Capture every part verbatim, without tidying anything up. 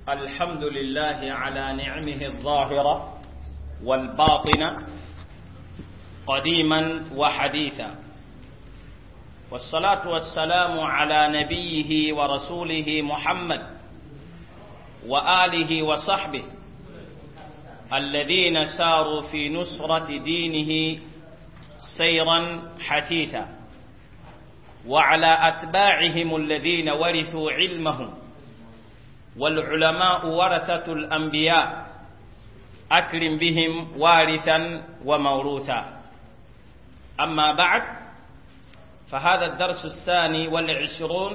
الحمد لله على نعمه الظاهرة والباطنة قديما وحديثا، والصلاة والسلام على نبيه ورسوله محمد وآله وصحبه الذين ساروا في نصرة دينه سيرا حثيثا، وعلى أتباعهم الذين ورثوا علمهم، والعلماء ورثة الأنبياء أكرم بهم وارثا وموروثا. أما بعد، فهذا الدرس الثاني والعشرون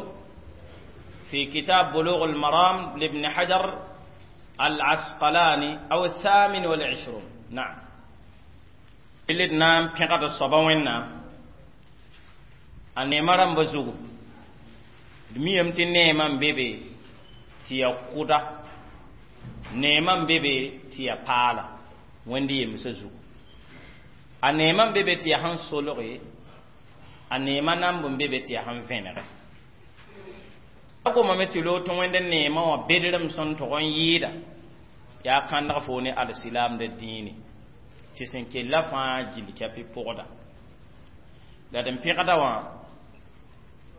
في كتاب بلوغ المرام لابن حجر العسقلاني، أو الثامن والعشرون. نعم، اللي نام بيغد الصبا a neema rãmba zugu. D miyame tɩ neemã n be be tɩ ya kʋda, neemã n be be tɩ ya paala Wẽnd yemsã zugu. A neemã n be be tɩ ya sẽn solge, a neemã namb n be be tɩ ya sẽn vẽnege. A gomame tɩ loog tɩ Wẽnd neemã wã bedrem sẽn tog n yɩɩda yaa kãndg fo ne alsilaamda dĩine tɩ sẽn kella fãa gill kɛpɩ pʋgda. La d n pẽgda wã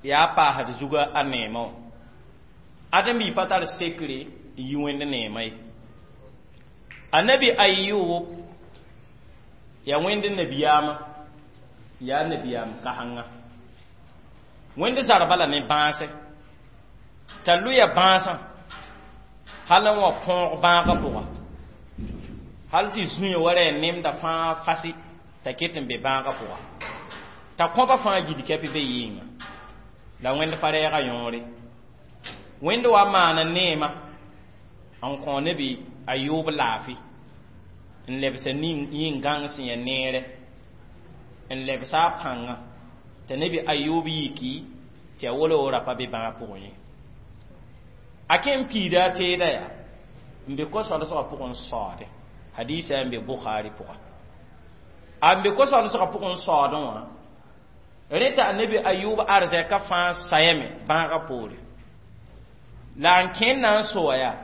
yaa paasd zuga a neemã wã. Ãdem-bi pa tar sekre n yi Wẽnd neemã ye. Annabi Ayub yaa Wẽnd nabiyaamã, yaa nabiyaam kãsenga. Wẽnd zarba la ne bãase t'a lʋya bãasã hal n wa kõog bãagã pʋga, hal tɩ zũya wa ra nemda fãa fasi t'a ket n be bãagã pʋga, t'a kõba fãa gil kɛpɩ be yɩnga. La Wẽnd pa rɛɛga yõore. Wẽnd wa maana neema n kõ nebi Ayoob laafɩ, n lebsa yĩn-gãng sẽn ya neere, n lebsa a pãngã t'a nebi Ayoob yiki tɩ a wolo ra pa be bãag pʋgẽ ye. A kẽ n piida a teeda yaa n be ko-solsgã pʋgẽ n saoode. Hadiisa n be Bukhari pʋga. A n be ko-solsgã pʋgẽ n saoodẽ wã, rẽ t'a nebi Ayub arzɛka fãa sayame bãagã poore. La n kẽnd na n soa yaa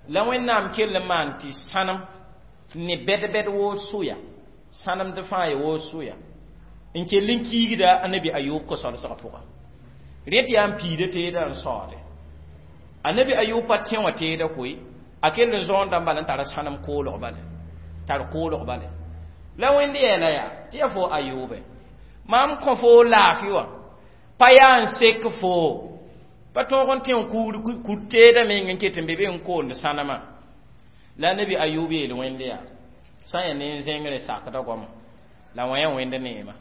la Wẽnnaam kell n maan tɩ sãnem ne bɛd-bɛd woo soya, sãnemd fãa ya woo soya n kell n kiigda a nebi Ayub ko-solsgã pʋga. Rẽ tɩ yaa n piida teedã n saoode. A nebi Ayub pa tẽ wã teeda koe, a kell n zõondã bala n tara sãnem koolg bale, tar koolg bale. La Wẽnd yeela yaa tɩ ya fo Ayuube, mam kõ fo laafɩ wã pa yaa n sek fo pa tõog n tẽ n kur teedã meng n ket n be be n koond sãnemã. La nebi Ayub yeel Wẽnd yaa sã n yaa ne n zẽngre sakda goama la wã yaa Wẽnd neema,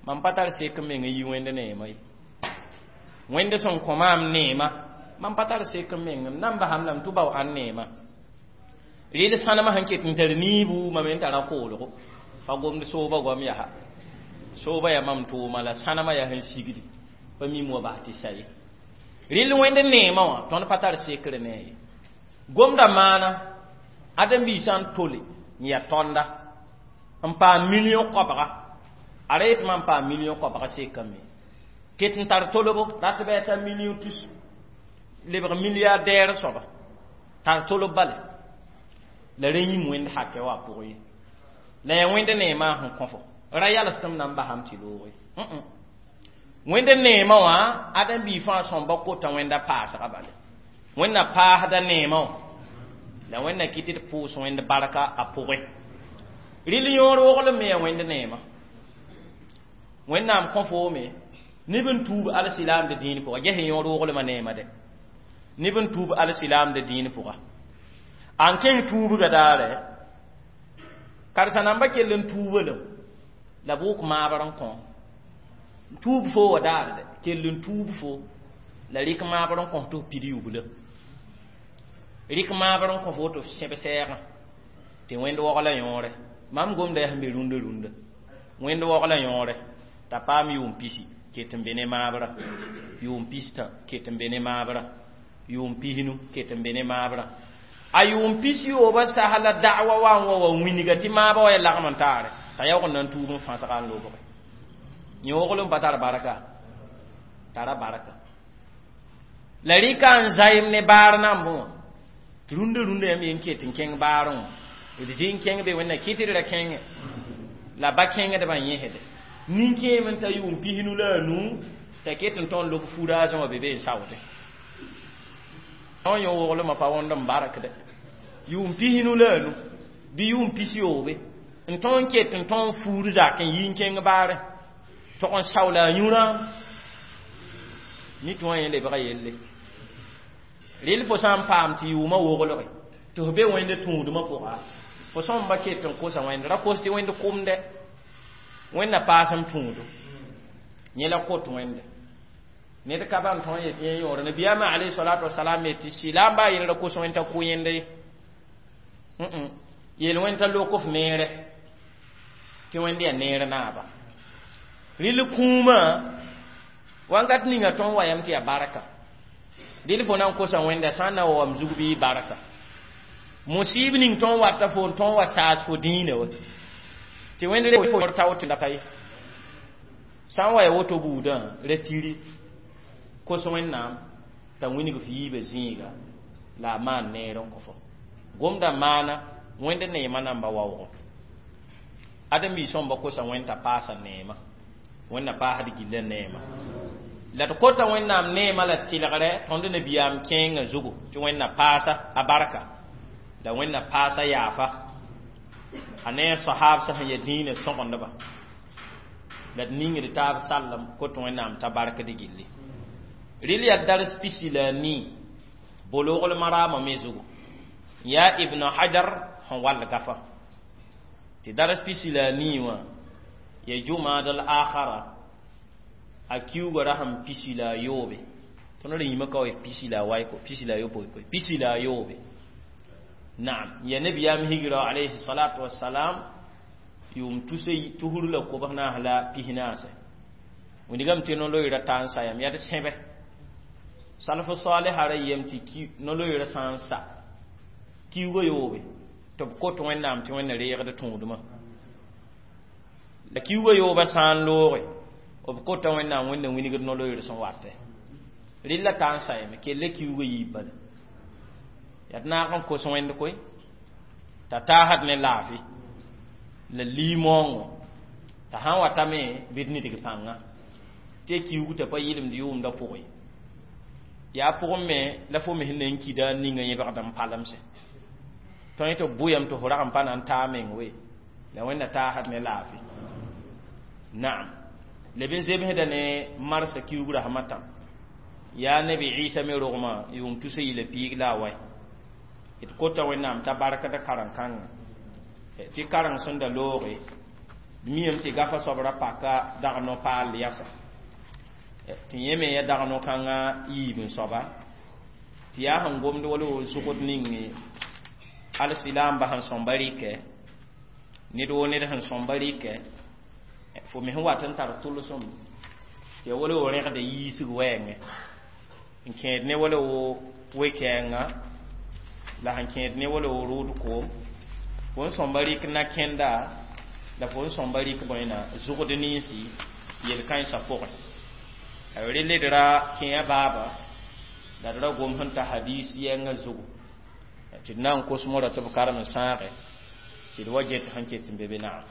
mam pa tar sek n meng n yi Wẽnd neema ye. Wẽnd sẽn kõ maam neema, mam pa tar sek n meng m nan basam la m tʋ bao ãn neema. Rɩd sãnemã sẽn ket n tar niibu mam n tara koolgo pa gomd sooba goam yaa sooba yaa mam tʋʋma la sãnemã yaa sẽn sigdi pa mim wa bas tɩ sa ye. Rɩl Wẽnd neemã wã tõnd pa tar sekre ne ye. Gomda maana ãdem-biisã n tole n yaa tõnda n paam million koabga, a ra yetɩ mam paam million koabga sekame ket n tar tolbo rat bɩ a tar million tus lebg milliardaire soaba tar tolb bale la rẽ yĩm Wẽnd hakɛ wã pʋgẽ ye. La yaa Wẽnd neemã sẽn kõ fo ra yals tɩ m na n basam tɩ looge. Wẽnd neemã wã ãdem-bi fãa sõmba kota Wẽnda paasga bale. Wẽnd na paasda neemã wã la Wẽnd na kɩt d pʋʋs Wẽnd barka a pʋgẽ. Rɩl yõor woglem me yaa Wẽnd neemã. Wẽnnaam kõ foome neb n tuub alsilaamd dĩin pʋga. Ges yõor woglmã neemã dɛ, neb n tuub alsilaamd dĩin pʋga. A n kẽng tuubga daare karsa-nambã kell n tuuba lem la b wʋk maabr n kõ tuub fo wa daar dɛ kell n tuub fo la rɩk maabr n kõ tɩ f pid yubla, rɩk maabr n kõ fo tɩ f sẽb sɛɛgã tɩ Wẽnd waogla yõore. Mam gomda yaa sẽn be rũndã rũndã Wẽnd waoogla yõore t'a paam yʋʋm pisi ket n be ne maabrã, yʋʋm pistã ket n be ne maabrã, yʋʋm pisnu ket n be ne maabrã. A yʋʋm pis yoobã sas la da'wa wa n wa wa wĩnga tɩ maabã wa ya lagm n taare t'a yaoog n na n tuub n fãsga n lobge. Yõoglem pa tar barka, tara barka. La rɩka n zaɩm ne baar nambẽ wã tɩ rũndã rũndã yãmb yen ket n kẽng baarẽ wã d zĩ n kẽng be wẽnna kɩtd ra kẽngẽ la ba kẽngdbã yẽsde nin-kẽem n ta yʋʋm pisnu la a nuu t'a ket n tõnd lob furaasẽ wã be be n saoodẽ tõn yõ woglmã pa wõnd n barkde yʋʋm pisnu la a nu bɩ yʋʋm pis-yoobe n tõnd ket n tõnd fuur zak n yi n kẽng baarẽ tog n saoola a yũrã nit wã yẽ lebga yelle rɩl fo sã n paam tɩ yʋʋmã woglge tɩ f be wẽnd tũudmã pʋga fo sõmba ket n kosa wẽnd ra kos tɩ wẽnd kʋmdɛ wẽnna paasem tũudo yẽ la kot wẽnde ned ka ban tõe n yet yẽ yõor nabiyaamã alayhi salatu wasalam yetɩ sɩla n baa yel ra kos wẽnd t'a kʋ yẽnda ye yel wẽnd t'a lok f neere tɩ wẽnd yaa neer naaba rɩl kũumã wankat ninga tõnd wa yam tɩ yaa barka rɩl fo na n kosa wẽnda sã n na wa wam zug bɩ barka musib ning tõnd wata fo n tõnd wa saas fo dĩinã wa tɩ wẽnd re fo tao tɩ la pa ye sã n wa ya woto buudã ra tiri kos wẽnnaam t'a wĩnig f yiibã zĩiga la a maan neer n kõ fo gomda maana wẽnd neemã namba waoogo ãdem-biis sõmba kosa wẽnd t'a paasa neema wẽnna paasd gilla neema la d kota wẽnnaam neemã la tɩlgrɛ tõnd nabiyaam kẽengã zugu tɩ wẽnna paasa a barka la wẽnna paasa yaafa a ne a sahaab sẽn ya dĩinã sõgendba la d ningd taab sallem kot wẽnnaam t'a barkd gilli rɩl yaa dars pisi la a nii Bulughul Marama me zugu yaa Ibn Hajar sẽn wall gafa tɩ dars pisi la a nii wã ya jumad al akhara a kiuga ra sẽn pisi la a yoobe tõnd ra yĩmã ka wa pisi la a waɩ pisi la a yopoe koe pisi la a yoobe naam ya nabiyaam higra alayhi salatu wassalam yʋʋm tus tusr la kobs naas la pis naase wĩndgame tɩ no-loeera ta n sayam yaa d sẽbe salf salha ra yem tɩ no-loeera sã n sa kiuga yoobe tɩ b kot wẽnnaam tɩ wẽnna reegd tũudmã la kiuga yoobã sã n looge b kota wẽnnaam wẽnna wĩnigd no-loeer sẽn watɛ rɩlla ta n sayame kella kiuga yiib bala yaa d naag n kos wẽnd koe t'a taasd ne laafɩ la limoongo t'a sã n watame bɩ d nidg pãnga tɩ ya kiuug t'a pa yɩlemd yʋʋmdã pʋgẽ yaa pʋgẽ me la fo me sẽn na n kida n ninga yẽbgd n palemse tõe tɩ b bʋyame tɩ fo rag n pa na n taa meng we la wẽnna taasd ne laafɩ naam leb n zemsda ne marsã kiuug rasmã tã yaa nabi Isa me rogmã yʋʋm tusa yila piig la a wae d kota wẽnnaam t'a barkd karen-kãngã tɩ kareng sẽn da looge d miyame tɩ gafa soab ra paka dag no-paal yasa tɩ yẽ me ya dag no-kãngã yiib n soaba tɩ yaa sẽn gomd wala wo zʋgd ning alsilaamba sẽn sõmba rɩkɛ ned woo ned sẽn sõmba rɩkɛ fo me sẽn wat n tar tʋlsem tɩ ya wala wo rẽgda yiisg wɛɛngẽ n kẽed ne wala wo we-kɛɛngã la sẽn kẽed ne wala wo rʋʋd koom fo n sõmba rɩk na-kẽnda la fo n sõmba rɩk bõena zʋgd ninsi yel-kãensã pʋgẽ rel d ra kẽa baaba la d ra gom sẽn ta hadis yɛngã zugu tɩ d na n kos mora tɩ b karem n sãage tɩ d wa get sẽn ket n be be naam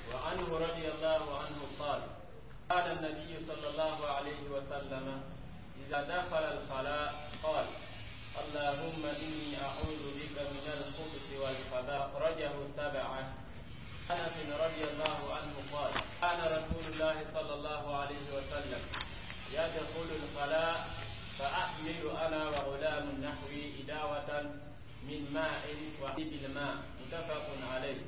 وعنه رضي الله عنه قال قال النبي صلى الله عليه وسلم إذا دخل الخلاء قال اللهم إني أعوذ بك من الخبث والخبائث أخرجه سبعة أنس رضي الله عنه قال كان رسول الله صلى الله عليه وسلم يدخل الخلاء فأحمل أنا وغلام نحوي إداوة من ماء وحيب الماء متفق عليه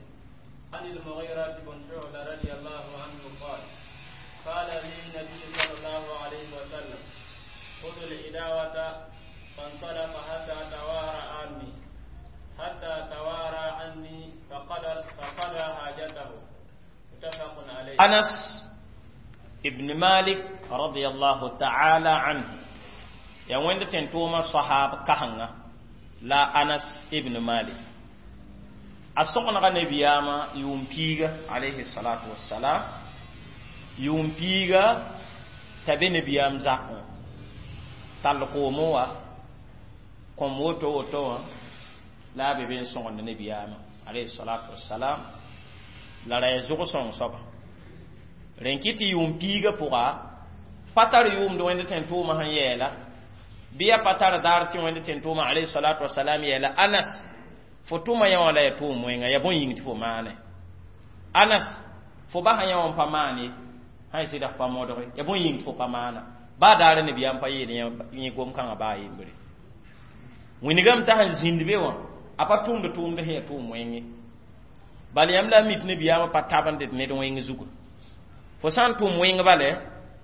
عن المغيرة بن شعبة رضي الله عنه قال قال لي النبي صلى الله عليه وسلم خذ الإداوة فانطلق حتى توارى عني حتى توارى عني فقضى فقضى حاجته متفق عليه أنس ابن مالك رضي الله تعالى عنه ya wẽnd tẽn-tʋʋmã sahab kasengã la Anas ibn Malik a sõgenga nabiyaamã yʋʋm piiga alayhi salatu wassalam yʋʋm piiga t'a be nabiyaam zakẽ Tall koomẽ wa kõm woto woto wã la a be be n sõgend nabiyaamã alayhi salatu wassalam. La ra ya zʋg-sõng soaba rẽn kɩ tɩ yʋʋm piigã pʋga pa tar yʋʋmd wẽnd tẽn-tʋʋmã sẽn yɛɛla bɩ ya pa tar daar tɩ wẽnd tẽn-tʋʋmã alayhi salatu wassalam yɛɛla Anas fo tʋma yã wã la ya tʋʋm wẽnga ya bõe yĩng tɩ fo maane Anas fo basa yã wã n pa maan ye sã y sɩda f pa modge ya bõe yĩng tɩ fo pa maana baa daara nabiyaam pa yeel yẽ gom-kãngã baa yembre wĩnigame t'a sẽn zĩnd be wã a pa tʋmd tʋʋmd sẽn ya tʋʋm wẽnge bal yãmb la a mit nabiyaamã pa tabend ned wẽng zugu fo sã n tʋm wẽng bale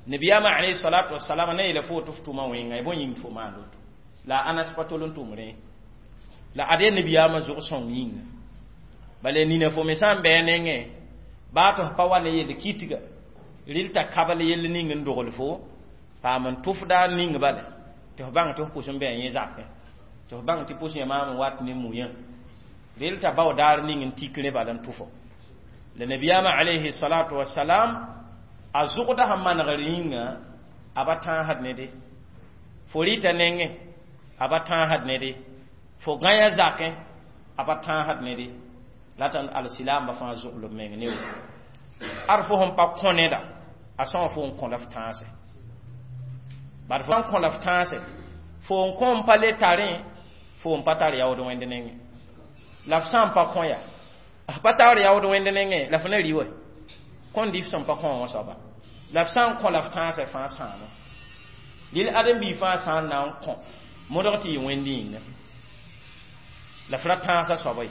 nabiyaamã alayhi salatu wasalam na yeela fo tɩ f tʋma wẽnga ya bõe yĩng tɩ fo maan woto la Anas pa tol n tʋm rẽ la ad yaa nabiyaamã zʋg-sõng yĩnga bala nina fo me sã n bɩ a nengẽ baa tɩ f pa wa ne yel kitga rɩl t'a kabl yell ning n dogl fo paam n tʋfda ning bale tɩ f bãng tɩ f pʋs n bɩ a yẽ zakẽ tɩ f bãng tɩ pʋs yã maam n wat ne muyã rel t'a bao daar ning n tik rẽ bala n tʋfo la nabiyaamã alayhi salatu wasalam a zʋgda sẽn manegr yĩnga a ba tãasd nede fo rɩta nengẽ a ba tãasd nede fo gãya zakẽ a pa tãasd nede la t'a alsilaamba fãa zʋglb meng ne woto ad fo sẽn pa kõ neda a sã wã fo n kõ la f tãase bad fo n kõ la f tãase fo n kõ n pa le tarẽ fo n pa tar yaood wẽnd nengẽ la f sã n pa kõ ya f pa tar yaood wẽnd nengẽ la f na rɩ wa kõn dɩ f sẽn pa kõ wã soaba la f sã n kõ la f tãasã fãa sãama lil ãdem-biig fãa sã n na n kõ modg tɩ yɩ wẽnd yĩnga la f ra tãasã soaba ye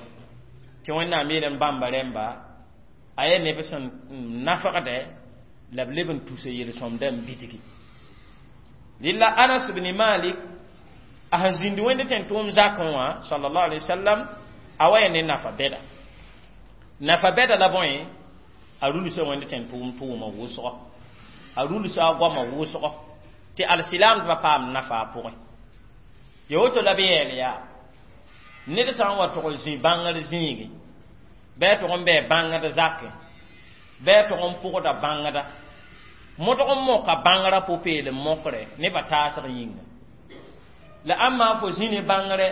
tɩ Wẽnnaam yeelame bãmba rẽmba a yaa neb sẽn nafgdɛ la b leb n tusa yel-sõmda n bidgi lilla Anas bni Malik a sẽn zĩnd wẽnd tẽn-tʋʋm zakẽ wã sallallahu alaihi wasallam a wa ya ne nafa bɛda nafa bɛda la bõe a rulsa wẽnd tẽn-tʋʋm tʋʋma wʋsgɔ a rulsa a goamã wʋsgɔ tɩ alsilaamdbã paam nafa a pʋgẽ ya woto la b yɛɛl yaa ned sã n wa tʋg zĩ bãngr zĩigi bɩ a tʋg n bɩ bãngd zakẽ bɩ a tʋg n pʋgda bãngda modg n moka bãngrã pʋ-peelem mokre nebã taasg yĩnga la ãmba fo zĩ ne bãngrɛ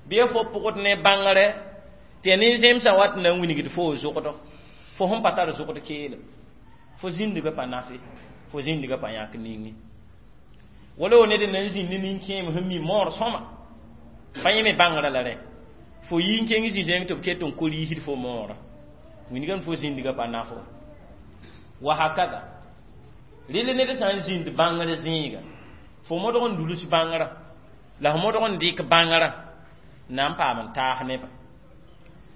bɩ fo pʋgd ne bãngrɛ tɩ ya nin-zẽmsã wat n na n wilgd fo zʋgdo fo sẽn pa tar zʋgd keelem fo zĩndgã pa nafe fo zĩndgã pa yãk ninge wala wo ned n na n zĩnd ne nin-kẽem sẽn mi moor sõma pa yẽ me bãngrã la rẽ fo yi n kẽng zĩ-zẽng tɩ b ket n ko-riisd fo moorã wingame fo zĩndgã pa nafo wa hakada rɩl ned sã n zĩnd bãngr zĩiga fo modg n duls bãngrã la f modg n dɩk bãngrã na n paam n taas nebã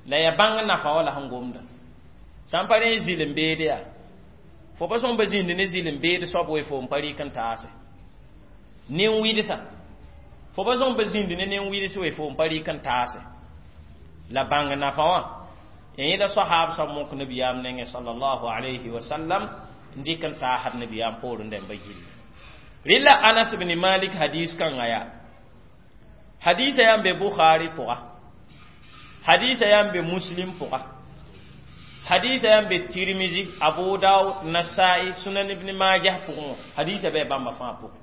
la ya bãng nafa wa la sẽn gomda sã n pa rẽ zɩl n beede yaa fo pa sõm pa zĩnd ne zɩl n beed soab we fo n pa rɩk n taase nin-wɩdsa fo pa sõm pa zĩnd ne nin-wɩds we fo n pa rɩk n taase la bãng nafa wã yẽ la sahaab soab mok nabiyaam nengẽ sallallahu alayhi wa sallam n dɩk n taasd nabiyaam poorẽ dãmba gilli rɩla Anas bni Malik hadis kãngã yaa hadisa yaa n be Bukhari pʋga hadisa yaa n be Muslim pʋga hadisa yaa n be Tirmizi Abu Daud Nasai Sunan Ibn Majah pʋgẽ wã hadisa bɩ bãmba fãa pʋgẽ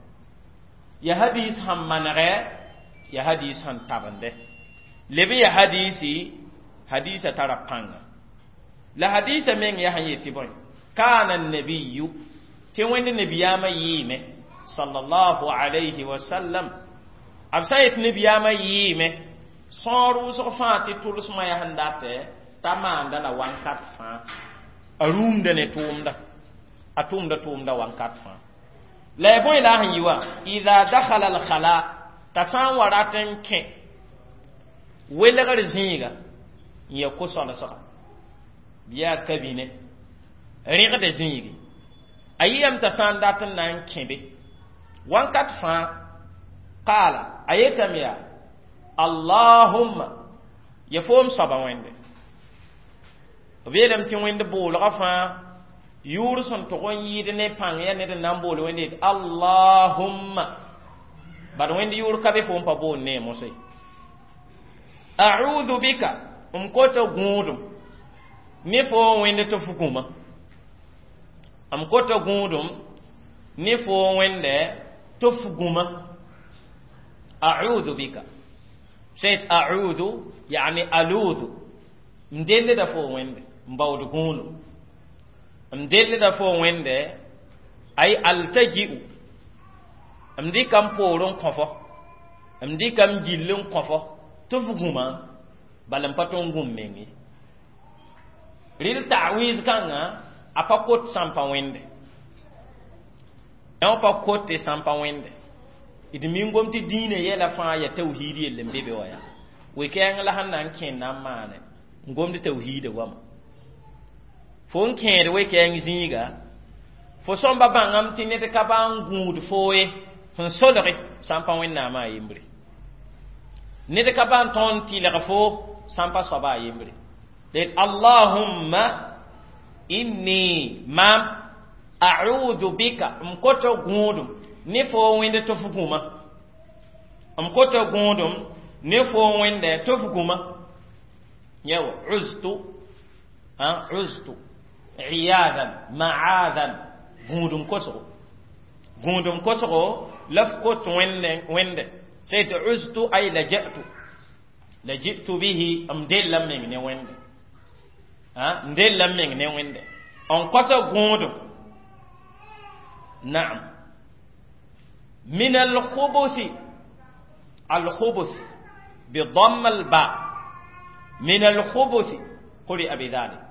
ya hadis sẽn manegɛ ya hadis sẽn tabende leb ya hadisi hadisa tara pãnga la hadisa meng yaa sẽn yetɩ bõe kana nabiyu tɩ wẽnd nabiyaamã yɩɩme sallallahu alayhi wa sallam b sã n yetɩ nabiyaamã yɩɩme sõor wʋsg fãa tɩ tʋlsmã yaa sẽn datɛ t'a maanda la wãnkat fãa a rũumda ne tʋʋmda a tʋʋmda tʋʋmda wãnkat fãa la ya bõe la a sẽn yɩ wã ida dakhala alkhala t'a sã n wa rat n kẽ welgr zĩiga n ya ko-sõlsga bɩ yaa kabine rẽgda zĩigi a yɩyame t'a sã n dat n na n kẽ be wãnkat fãa qaala a yetame yaa allahumma ya foom soaba wẽnde b yeelame tɩ wẽnd boolgã fãa yʋʋr sẽn tʋg n yɩɩd ne pãng yaa ned n na n bool wẽnde yet allahumma bad wẽnd yʋʋr ka be fo n pa boond ne mosã ye a'udhu bika m kota gũudum ne fo wẽnd tɩ f gũma m kota gũudum ne fo wẽnde tɩ f gũma A'udhu bika sẽn a'udhu yani aludhu m dellda fo wẽnde n baood gũudum m dellda fo wẽnde ay altaji'u m dɩka m poor n kõ fo m dɩka m gill n kõ fo tɩ f gũma bala n pa tõe n gũm meng ye rɩl ta'wiz kãngã a pa kot sãn pa wẽnde yã pa kote sãn pa wẽnde d mi gom tɩ dĩinã yɛla fãa ya tawhiid yell n be be wa yaa we-kɛɛng la sẽn na n kẽnd na n maane n gomd tawhiida goama fo n kẽed we-kɛɛng zĩiga fo sõmba bãngame tɩ ned ka ba n gũud foo ye sẽn solge sã n pa wẽnnaamã a yembre ned ka ba n tõnd tɩlg fo sã n pa soaba a yembre d allahumma inni mam a'udhu bika m kota gũudum ne fo wẽnde tɩ f gũma m kota gũudum ne fo wẽnde tɩ f gũma yawa uztu uztu iyadan ma'adan gũudum kosgo gũudum kosgo la f kot wẽnde wẽnde sai tɩ uztu ay laja'tu laji'tu bihi m della m meng ne wẽnde n della m meng ne wẽnde n kosa gũudum naam من الخبث الخبث بضم الباء من الخبث قرئ بذلك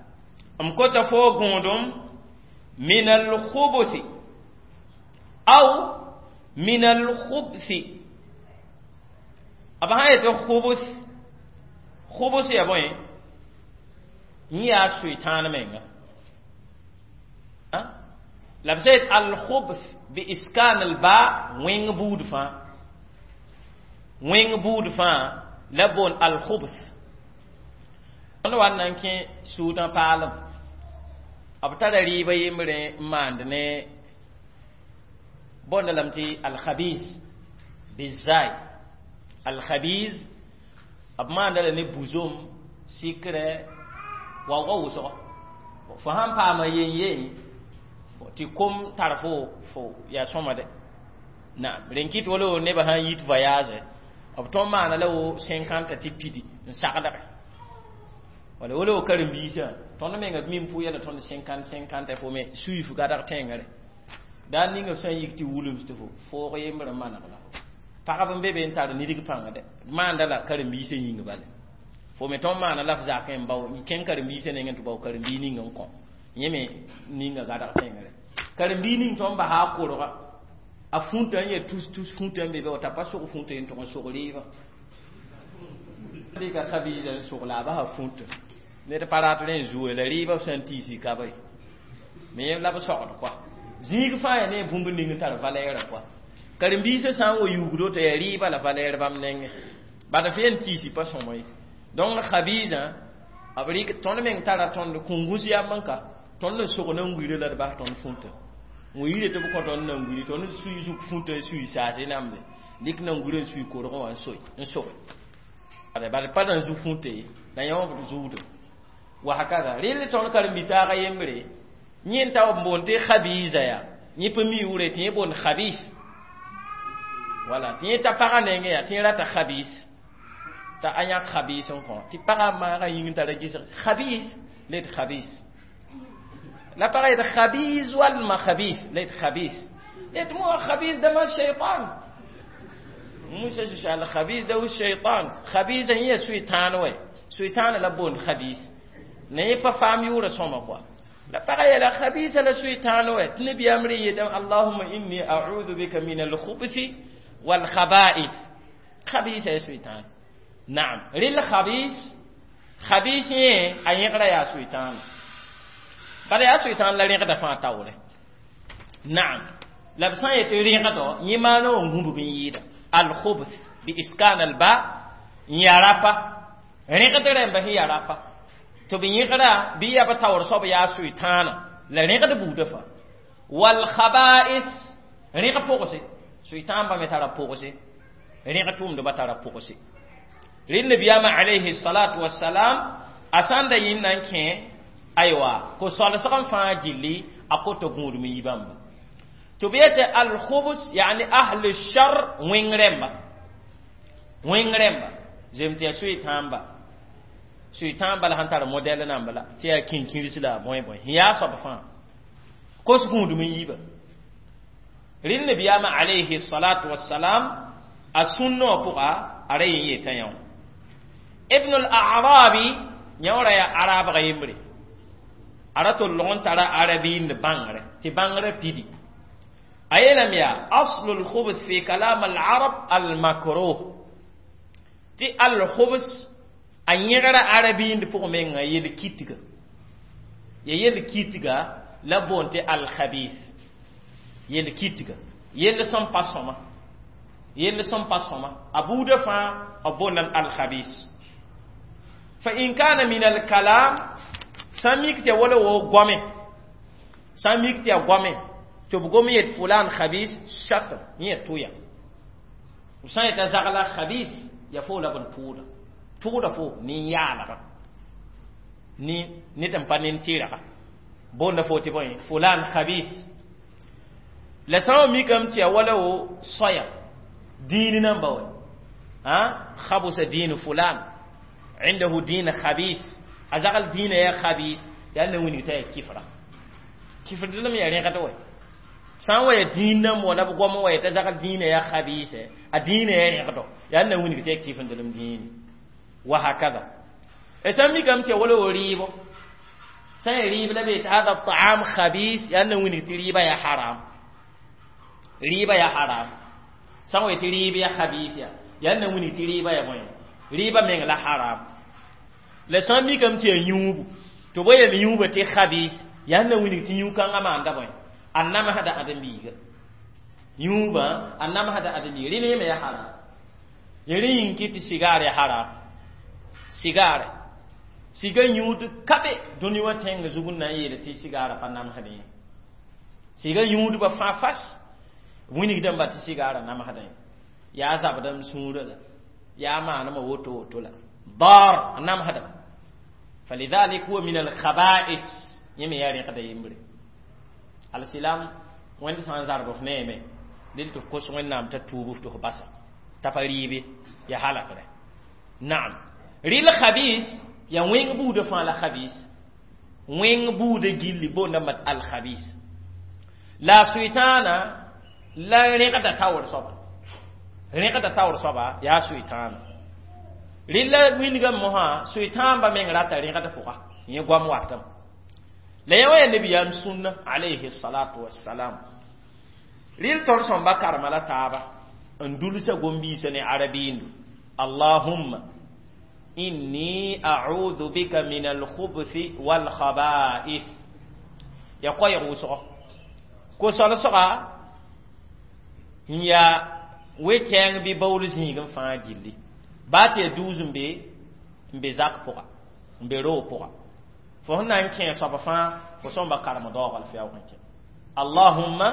أم كنت فوقودم من الخبث أو من الخبث أبا هاي خبث خبث يا بوي نيا شيطان منغا la b sẽn al-khubth bi iskan al-ba wẽng buud fãa wẽng buud fãa la boon al-khubth tõnd wa n na n kẽ sũudã paalem b tara rɩɩbã yembre n maand ne boonda lame tɩ al-khabiz bizai al-khabiz b maanda la ne buzom sikrɛ waoogã wʋsgo fo sãn paama yen yen tɩ kom tar fo fo yaa sõma de naam rẽn kɩt wala nebã sãn yit voyage b tõnd maana la wo cinquante tɩ pidi n sagdge wala wala wo karen-biisã tõnd menga mim pʋ yɛla tõnd cinquante cinquante fo me sui f gadg tẽngre daar ninga f sã n yik tɩ wulms tɩ fo foog yembr n maneg la pagb n be be n tar nidg pãnga de maanda la karen-biisã yĩng bale fo me tõnd maana la f zakẽ n bao kẽng karen-biisã nengẽ tɩ bao karen-bii ning n kõ yẽ me ninga gadg tẽngre karen-bii ning tõnd basa a korga a fũta n yaa tus tus fũta n be be t'a pa sog fũta n tʋg n sog rɩɩbã dɩka khabiisa n sog la a basa fũta ned pa rat rẽ n zuo la rɩɩbã b sã n tiisi kaba ye me yẽ la b sogd kɔa zĩig fãa yaa ne bũmb ning n tar valɛɛrã kɔa karen-biisã sã n wa yuugdo t'a yaa rɩɩbã la valɛɛr bãmb nengẽ bad f yen tiisi pa sõma ye donc khabiisã b rɩk tõnd meng tara tõnd kũngũs yam n ka tõnd n sog nan-wire la d bas tõnd fũta n yire tɩ b kõ tõnd nan-wiri tõnd sui zug fũta n sui saase namde dɩk nan-wirã n sui korgẽ wã n soe n soge bad pa nan zu fũta ye la yã wã b zuugdo wa hakada rɩl tõnd karen-bi-taagã yembre yẽ n ta b boond tɩ khabiisa yaa yẽ pa mi yʋʋre tɩ yẽ boond khabis wala tɩ yẽ ta pagã nengẽ yaa tɩ yẽ rata khabis t'a a yãk khabis n kõ tɩ pagã maagã yĩng tara gesg khabis la d khabis la pagã yet khabis walma khabis la yet khabis yet mo khabis dama shaytan musa al khabis da shaytan khabis yẽ suytan wa suytan la boond khabis ne yẽ pa faam yʋʋra sõma kɔa la pagã yeela khabisa la suytan wa tɩ nabiyaam rẽ yeetame allahuma inni a'udhu bika min alkhubthi walkhaba'ith khabisa ya suytan naam rɩl khabis khabis yẽ a yẽgra yaa suytan bala yaa suytan la rẽgda fãa taoore naam la b sã n yetɩ rẽgdɔ yẽ maana wã gũbg n yɩɩda alkhubth bi iskan alba n yaa rapa rẽgd rẽmba sẽn yaa rapa tɩ b yẽgra bɩ yaa b taoor soab yaa sʋɩtãana la rẽgd buudã fãa walkhaba'is rẽg pʋgse sʋɩtãanbã me tara pʋgse rẽg tʋʋmdbã tara pʋgse rɩ nabiyaamã alayhi salatu wasalam a sã n da yĩnd na n kẽ aywa ko-solsg n fãa gilli a kota gũudum yi bãmba tɩ b yetɩ alkhubs yani ahlu shar wẽng rẽmba Wẽng rẽmba zem tɩ yaa soy-tãamba soy-tãamba la sẽn tar modɛl namba la tɩ yaa kĩnkĩrs la a bõe bõe sẽn yaa soab fãa kos gũudum n yiiba rɩl nabiyaamã alayhi salatu wassalam a sũnnã wã pʋga a ra yen yetã yã wã ibn al-arabi yã wã ra yaa arabga yembre a ra tol log n tara arabiind bãngre tɩ bãngrã pidi a yeelame yaa aslu lkhubs fi kalam al-arab al-makruh tɩ al-khubs a yẽgra arabiind pʋg menga yel-kitga ya yel-kitga la boon tɩ al-khabis yel-kitga yell sẽn pa sõma yell sẽn pa sõma a buudã fãa b boondame al-khabis fa in kana min al-kalam sã n mik tɩ ya wala wo goame sã n mik tɩ ya goame tɩ b gom yet fulan khabis shat yẽ tʋya b sã n yeta zagla khabis ya fo la b n tʋʋda tʋʋda fo nin-yaalga ni ned n pa nin-tɩrga boonda fo tɩ bõe fulan khabis la sã n wa mikame tɩ ya wala wo soaya diin namba wa ha khabusa diin fulan عنده دين خبيث a zagl dĩinã yaa khabis yaa na wilg t'a yaa kifra kifr lame yaa rẽgd wɛ sã n wa ya dĩin nan wã la b goam wa t'a zagl dĩinã yaa khabis a dĩinã yaa rẽgdo yaa na wilg t'a yaa kifndlem dĩini wa hakada sã n mikame tɩ ya wala wo rɩɩbo sã n ya rɩɩb la be tɩ hada taam khabis yaa na wilg tɩ rɩɩbã yaa haram rɩɩbã yaa haram sã n wa tɩ rɩɩb yaa khabis ya yaa na wilg tɩ rɩɩbã yaa bõe rɩɩbã meng la haram la sã n mikame tɩ yaa yũubu tɩ b yel yũubã tɩ khabis yaa na wilg tɩ yũ-kãngã maanda bõe a namsda ãdem-biiga yũubã a namsda ãdem-biiga rẽ yẽme yaa haram rẽ yĩng kɩ tɩ sigaar yaa haram sigaare siga yũud ka be dũni wã tẽng zug n na n yeele tɩ sigaarã pa namsdẽ ye siga yũudbã fãa fas wilgdãmba tɩ sigaarã namsdẽ yaa zabdame sũurã la yaa maanema woto woto la dar a namsdame فلذلك هو من الخبائث yẽme yaa rẽgda yembre alsilam wẽnd sã n zarb f neeme dɩl tɩ f kos wẽnnaam t'a tuub f tɩ f basa t'a pa rɩɩbe ya halakre naam rɩl khabis ya wẽng buudã fãa la khabis wẽng buudã gilli boondame mat al khabis la suɩtãana la rẽgda taoor soaba rẽgda taoor soaba yaa suɩtãana rɩla wilgame mosã suɩtãamba meng rata rẽgd pʋga yẽ goam watame la yã wã yaa nabiyaam sũnna alayhi salatu wassalam rɩl tõnd sõmba karema la taaba n dulsa gom-biisã ne arabiindu allahumma inni a'udhu bika min alkhubthi walkhaba'ith ya koɛɛg wʋsgo ko-solsga n yaa we-kɛɛng bɩ baool zĩig n fãa gilli baa tɩ yaa duus n be n be zak pʋga n be roog pʋga fo sẽn na n kẽ soab fãa fo sõmba karem daoog la f yaoog n kẽ allahumma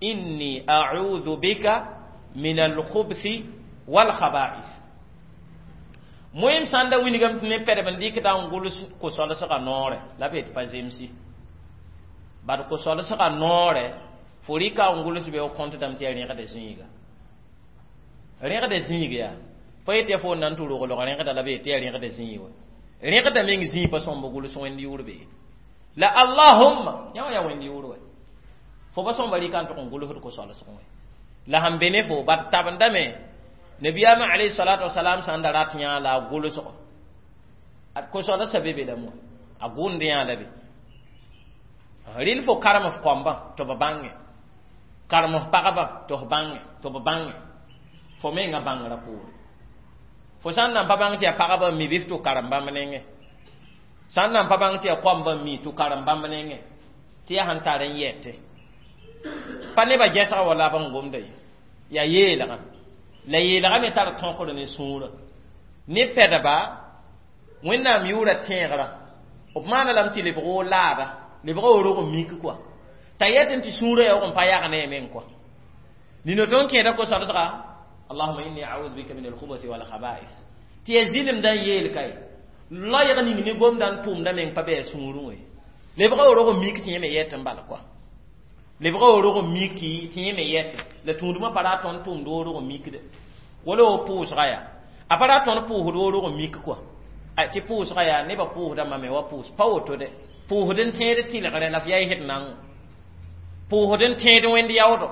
inni a'udhu bika min alkhubthi walkhaba'ith moem sã n da wilgame tɩ ne pɛdb n dɩkda n gʋls ko-solsgã noorɛ la b yetɩ pa zemsi bad ko-solsgã noorɛ fo rɩka n gʋls be kõntdame tɩ yaa rẽgda zĩiga rẽgda zĩig yaa pa yetɩ ya fo na n tɩ roglg rẽgda la b yetɩ yaa rẽgda zĩig wa rẽgda meng zĩig pa sõmb gʋls wẽnd yʋʋr be la allahumma yã wã yaa wẽnd yʋʋr wɛ fo pa sõmba rɩka n tʋg n gʋlsd ko-solsg wɛ la sẽn be ne fo bad tabendame nabiyaamã alayhi salatu wasalam sã n da rat yã la a gʋlsgo ko-solsã be be la moa a gʋnd yã la be rɩl fo karem f koambã tɩ b bãnge karem f pagba tɩ f bãnge tɩ b bãnge fo menga bãngrã poore fo sã n nan pa bãng tɩ yaa pagba n mi bɩ f tʋ karem bãmb nengẽ sã n nan pa bãng tɩ yaa koamba n mi tʋ karem bãmb nengẽ tɩ yaa sẽn tar n yɛte pa nebã gɛsga wa la b n gomda ye yaa yeelgã la yeelgã me tar tõkr ne sũurã ne pɛdba wẽnnaam yʋʋra tẽegrã b maana lame tɩ lebg wo laada lebga wo rog n mik kɔa t'a yɛtẽ tɩ sũurã yaoog n pa yag ne a meng kɔa nina tõnd kẽeda ko-solsga allahuma inni a'udhu bika min alkhubuthi wal khaba'is tɩ ya zɩlemdã n yeel kae loɛɛg ning ne gomda n tʋʋmda meng pa bɩ a sũurẽ we lebga wo rog n mik tɩ yẽ me yɛt n bala kɔa lebga wo rog n miki tɩ yẽ me yɛte la tũudmã pa rat tõnd tʋʋmd wo rog n mikde Wala o pʋʋsga yaa a pa ra tõnd pʋʋsd woorg n mik kɔa tɩ pʋʋsga yaa nebã pʋʋsdãmbã me wa pʋʋs pa woto dɛ pʋʋsd n tẽed tɩlgrẽ la f yaa sd nango pʋʋsd n tẽed wẽnd yaoodo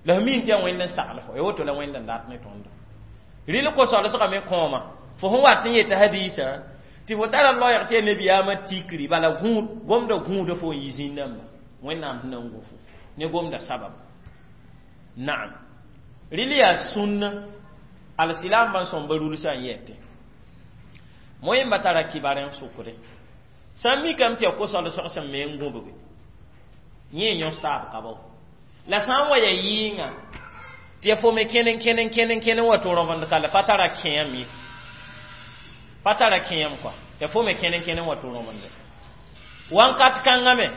la f min tɩ yaa wẽnd n sagl fo ya woto la wẽnd n dat ne tõndo rɩl ko-solsgame me kõoma fo sẽn wat n yeta hadiisã tɩ fo tara loɛɛg tɩ yaa nebiyaamã tikri bala gũud gomda gũuda fo n yi zĩig-dãmba wẽnnaam sẽn na n gũ fo ne gomda sabab naam rɩl yaa sũnna alsilaambã sõmba rulsã n yɛtẽ moẽmba tara kibar n sʋkde sã n mikame tɩ yaa ko-solsg sẽn me n gũbge yẽ yõs taab ka bao la sã n wa ya yɩɩngã tɩ ya fo me kẽne kẽne kẽne kẽne wa tɩ rõbend ka la pa tara kẽem ye pa tara kẽem kɔa ya fo me kẽne kẽne wa tɩ rõbende wãnkat kãngã me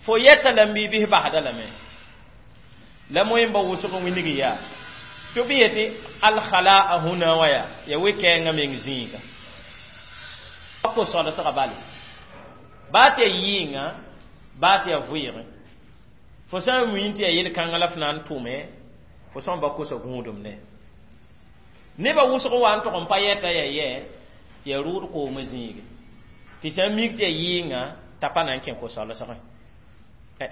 fo yɛta la n bɩ bɩs basda lame la moẽmba wʋsg wilg yaa tɩ b yetɩ alkhalaa huna wã yaa ya we-kɛɛngã meng zĩiga ko-solsga bale baa tɩ ya yɩɩngã baa tɩ ya vɩɩgẽ fo sã n wĩn tɩ ya yel-kãngã la f na n tʋme fo sã n ba kosa gũudum ne nebã wʋsg wa n tʋg n pa yɛta ya yɛ ya rʋʋd koomã zĩige tɩ sã n mik tɩ ya yɩɩngã t'a pa na n kẽ ko-solsgẽ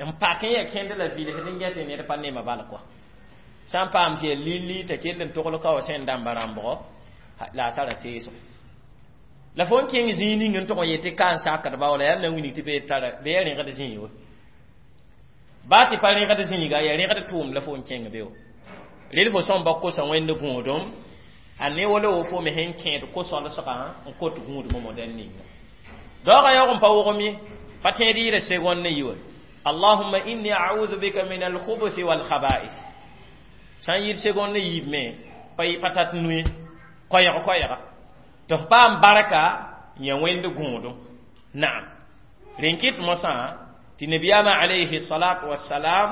n pak n ya kẽnd la vilsd n gɛtɩ ned pa nema bal kɔa sã n paam tɩ ya lilli t'a kell n togl ka wa sẽn dãmba rãmbgo la a tara teesgo la fo n kẽng zĩig ning n tʋg n yetɩ ka n sakd baoola yaa na wilg tɩ bee tara bee ya rẽgd zĩig we baa tɩ pa rẽgd zĩiga ya rẽgd tʋʋmd la fo n kẽng be wa rel fo sõmba kosa wẽnd gũudum a ne wala wo fo me sẽn kẽed ko-solsgã n kot gũudmã modɛl ninga daoogã yaoog n pa wogem ye pa tẽed yɩɩda segond ne yi wa allahumma inni a'udhu bika min alkhubuthi walkhaba'ith sã n yɩɩd segond ne yiib me pa pa tat nuye koɛɛg koɛɛga tɩ f paam barka yã wẽnd gũudum naam rẽn kɩt mosã tɩ nabiyaamã alayhi salatu wasalam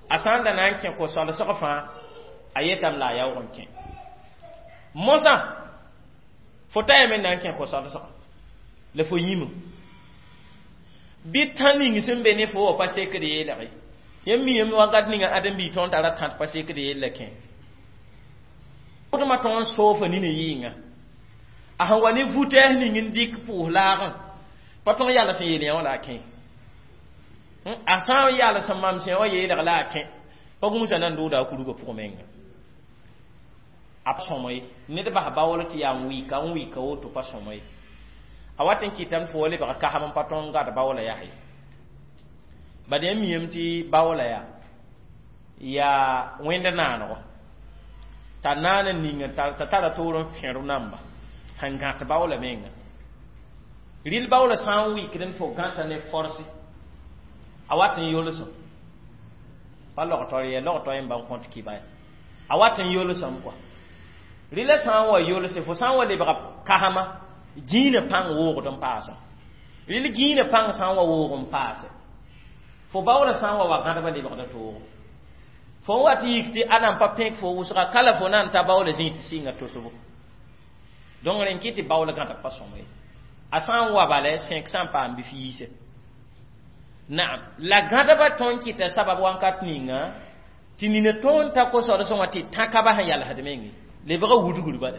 a sã n da na n kẽ ko-solsg fãa a yetame la a yaoog n kẽ mosã fo ta yame na n kẽ ko-solsga la fo yĩme bɩ tã ning sẽn be ne fo wa pa sekd yeelge yãmb miame wakat ninga ãdem-biig tõnd tara tãt pa sekd yella kẽ dmã tõnd soofa nina yɩɩnga a sẽn wa ne vutɛɛs ning n dɩk pʋʋs laagẽ pa tõnd yals n yeel yã wã la a kẽ a sã n yals n mam sẽ wã yeelg la a kẽ pa gũusã na n dʋʋda a kurgã pʋg menga a sõma ye ned bas baool tɩ yaa n wɩka n wɩka woto pa sõma ye a wat n kɩtame fo wa lebg kasem n pa tõnd gad baoola yaa ye bad yãmb miame tɩ baoola yaa yaa wẽnd naanego t'a naan n ning t'a tara toor n fẽr namba sẽn gãt baoola menga rɩl baoola sã n wɩkd n fo gãta ne forse a wat n yolsem pa logtɔ yɛ logtɔ yẽmba n kõt kɩba ya a wat n yolsem kɔa rɩla sã n wa yolse fo sã n wa lebga kasema gĩinã pãng woogd n paasem rɩl gĩinã pãng sã n wa woog n paase fo baoola sã n wa wa gãdba lebgda toogo fo n wat yik tɩ a nan pa pẽk fo wʋsga ka la fo na n ta baoola zĩig tɩ sɩnga tosbo donc rẽn kɩ tɩ baoola gãdb pa sõma ye a sã n wa bala sẽk sã n paam bɩ f yiise naam la gãdba tõnd kɩta sabab wãnkat ninga tɩ nina tõnd ta ko-solsẽ wã tɩ tãka sẽn yalsd menge lebga wudgr bala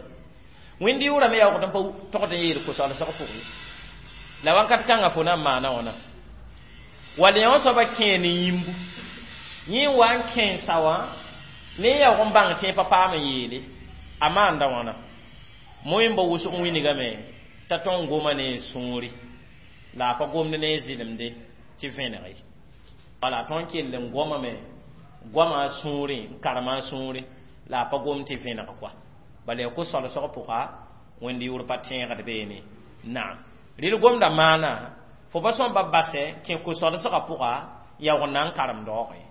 wẽnd yʋʋrame yaoogd n pa togd n yeel ko-solsg pʋgẽ la wãnkat kãngã fo na n maana wãna wall yã wã soaba kẽe ne yĩmbu yẽ n wa n kẽensa wã ne n yaoog n bãng tẽ pa paam n yeele a maanda wãna moẽmba wʋsg wingame t'a tõnd goma ne sũuri la a pa gomd ne zɩlemde tɩ vẽneg ye wala tõnd kell n gomame goama a sũurẽ n karema a sũurẽ la a pa gom tɩ vẽneg kɔa bala ya ko-solsg pʋga wẽnd yʋʋr pa tẽegd beene naam rɩl gomda maana fo pa sõmba basɛ kẽ ko-solsgã pʋga yaoog n na n karem daoogẽ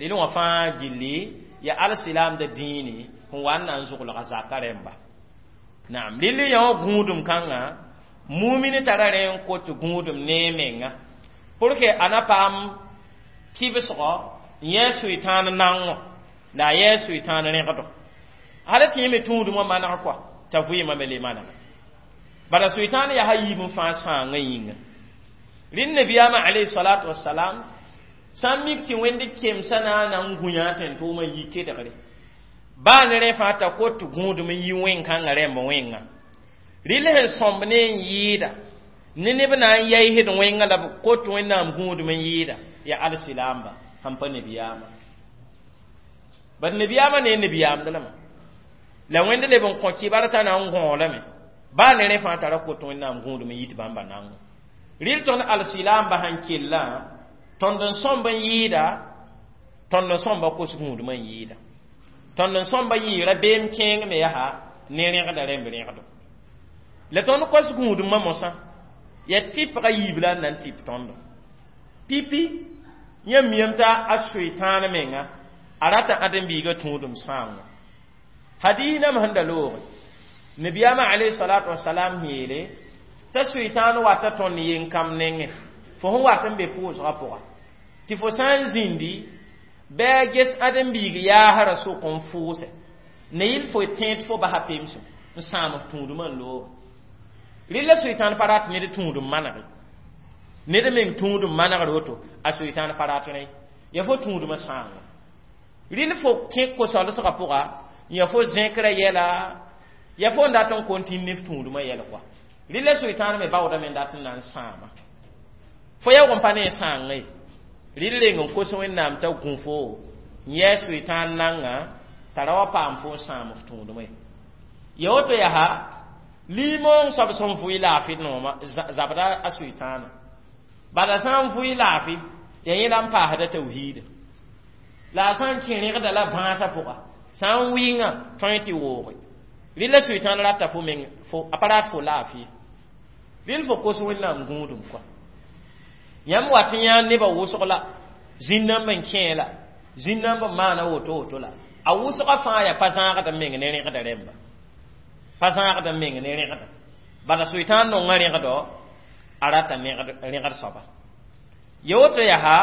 rɩl wã fãa gilli ya alsilaamda dĩini sẽn wa n na n zʋglga zaka rẽmba naam rɩl yã wã gũudum kãngã mumin tara rẽ n kot gũudum ne menga pour que a na paam kibsgɔ n yɛɛ sʋɩtãan nango la a yɛɛ sʋɩtãan rẽgdo hala tɩ yẽ me tũudmã maneg kɔa t'a vɩɩmã me le manega bala sʋɩtãan yaa a yiib n fãa sãangã yĩnga rẽnd nabiyaamã alayhi salatu wasalam sã n mik tɩ wẽnd kemsã na n na n gũ yã tẽn-tʋʋmã yi kedgre Baa ne rẽ fãa t'a kot gũudum n yi wẽn-kãngã rẽmb wẽnga. Rɩl sẽn sõmb ne n yɩɩda ne neb na n yaisd wẽngã la b kot Wẽnnaam gũudum n yɩɩda yaa alsilaamba sãn pa nebiyaamã. Bad nebiyaamã ne nebiyaamd lame la Wẽnd leb n kõ kɩbar t'a na n gõolame baa ne rẽ fãa tara kot Wẽnnaam gũudum n yit bãmba nango. Rɩl tõnd alsilaamba sãn kellã tõnd n sõmb n yɩɩda tõnd n sõmba kos gũudum n yɩɩda tõnd n sõmba yɩɩra beem kẽeng me yaa ne rẽgda rẽmb rẽgdo la tõnd kos gũudumã mosã yaa tɩpga yiib la n na n tɩp tõndo pipi yãmb miyame t'a a soetãan menga a rata ãdem-biigã tũudum sãango hadiis nam sẽn da looge nabiyaamã alayhi salatu wasalam yeele t'a soetãan wata tõnd yen-kãmb nengẽ fo sẽn wat n be pʋʋsgã pʋga tɩ fo sã n zĩndi bɩ a ges ãdem-biig yaasrã sʋk n fʋʋse ne yɩl fo tẽed fo basa pemsem n sãam f tũudmã n looge rɩl la soetãan pa rat ned tũudum manege ned meng tũudum manegr woto a soetãan pa rat rẽ ya fo tũudmã sãango rɩl fo kẽ ko-solsgã pʋga ya fo zẽkrã yɛla ya fo n dat n continue ne f tũudmã yɛl kɔa rɩl la soetãan me baoodame n dat n na n sãama fo yaoog n pa ne n sãangã ye rɩl reng n kos Wẽnnaam t'a gũ fo n yɛɛ soetãan nanga t'a ra wa paam fo n sãam f tũudmã ye ya woto yaa limoong soab sẽn vʋɩ laafɩ nooma zabda a soetãana bala sã n vʋɩ laafɩ ya yẽ la n paasda tawhiida la a sã n kẽ rẽgda la bãasã pʋga sã n wɩngã tõe tɩ wooge rɩl la soetãan rata fo meng fo a pa rat fo laafɩ rɩl fo kos Wẽnnaam gũudum kɔa yãmb wat n yã nebã wʋsg la zĩn-dãmb n kẽe la zĩn-dãmb n maana woto woto la a wʋsgã fãa yaa pa zãagd n meng ne rẽgda rẽmba pa zãagd n meng ne rẽgda bala soetãan nongã rẽgdo a rata rẽgd soaba ya woto yaa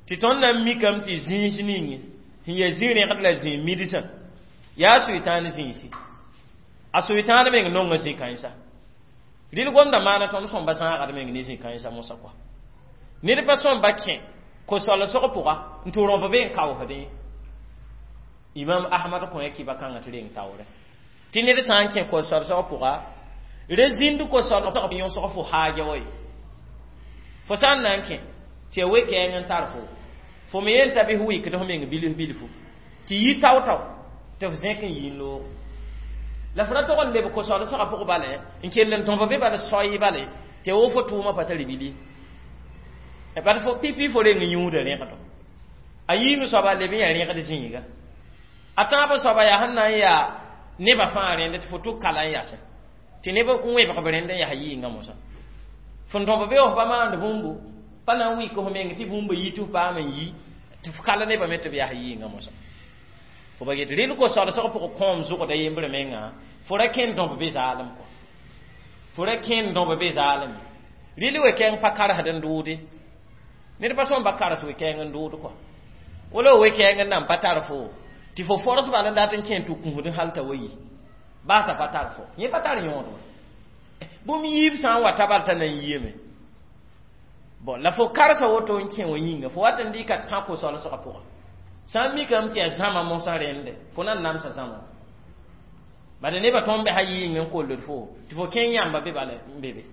tɩ tõnd na n mikame tɩ zĩis ning sẽn yaa zĩ-rẽgd la zĩ midsã yaa soetãan zĩisi a soetãan meng nongã zĩ-kãensa rɩl gomda maana tõnd sõmba zãagd meng ne zĩ-kãensa mosã kɔa ned pa sõmba kẽ ko-solsg pʋga n tɩ rõb be n kaoosdẽ Imam Ahmad kõ ya kɩba kãngã tɩ reng taoore tɩ ned sã n kẽ ko-solsg pʋga re zĩnd ko-solsg yõsg fo haaja wa ye fo sã n na n kẽ tɩ ya we-kɛɛng n tar fo fo me yen t'a bɩ f wɩkd f meng bilf bilfu tɩ yi tao-tao tɩ f zẽk n yi n loog la f ra tog n leb ko-solsgã pʋg bale n kell n tõb be bal soy bale tɩ wo fo tʋʋmã pa tari bili bad fo pipi fo reng yũuda rẽgdo a yiime soaba leb n yaa rẽgd zĩiga a tãab soaba yaa sẽn na n yaa nebã fãa rẽnd tɩ fo tʋk kala n yasẽ tɩ neb n wẽbg b rẽnd n yaa yɩɩngã mosã fõn tõb be f pa maand bũmbu pa na n wɩk f meng tɩ bũmba yi tɩ f paam n yi tɩ f kala nebã me tɩ b yaa yɩɩngã mosã fo ba get rɩl ko-solsg pʋg kõom zʋgda yembre mengã fo ra kẽnd dõb be zaalem kɔ fo ra kẽnd dõb be zaalem rɩl we-kɛɛng pa karsd n dʋʋde ned pa sõm pa kars we-kɛɛng n dʋʋd kɔ wala we-kɛɛng n nan pa tar fo tɩ fo fors bal n dat n kẽ tɩ kũsd hal t'a wa yi baa t'a pa tar fo yẽ pa tar yõod wa bũmb yiib sã n wa ta bal t'a na n yiame bon la fo karsa woto n kẽ wã yĩnga fo wat n dɩka tã ko-solsgã pʋga sã n mikame tɩ yaa zãma mosã rẽnde fo na n namsa zãma bala nebã tõnd besa yɩɩng n kolld fo tɩ fo kẽng yãmba be bala n be be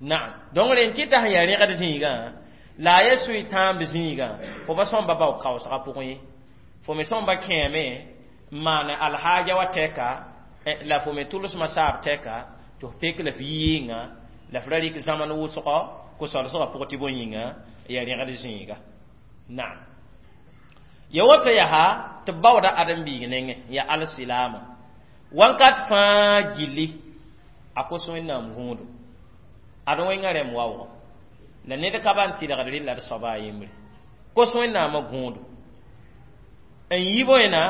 naam donc rẽn kɩta sẽn yaa rẽgd zĩigã la a yaa soe-tãamb zĩigã fo pa sõmba bao kaoosgã pʋgẽ ye fo me sõmba kẽeme n maan alhaaja wa tɛka la fo me tʋlsmã saab tɛka tɩ f pek la f yɩɩngã la f ra rɩk zãmn wʋsgɔ ko-solsgã pʋg tɩ bõe yĩnga yaa rẽgd zĩiga naam ya woto yaa tɩ b baooda ãdem-biig nengẽ yaa alsilaama wãnkat fãa gilli a kos Wẽnnaam gũudu ad wẽngã rẽmb waoogɔ la ned ka ban tɩlgd rɩlla d soaba a yembre kos Wẽnnaamã gũudu n yi bõena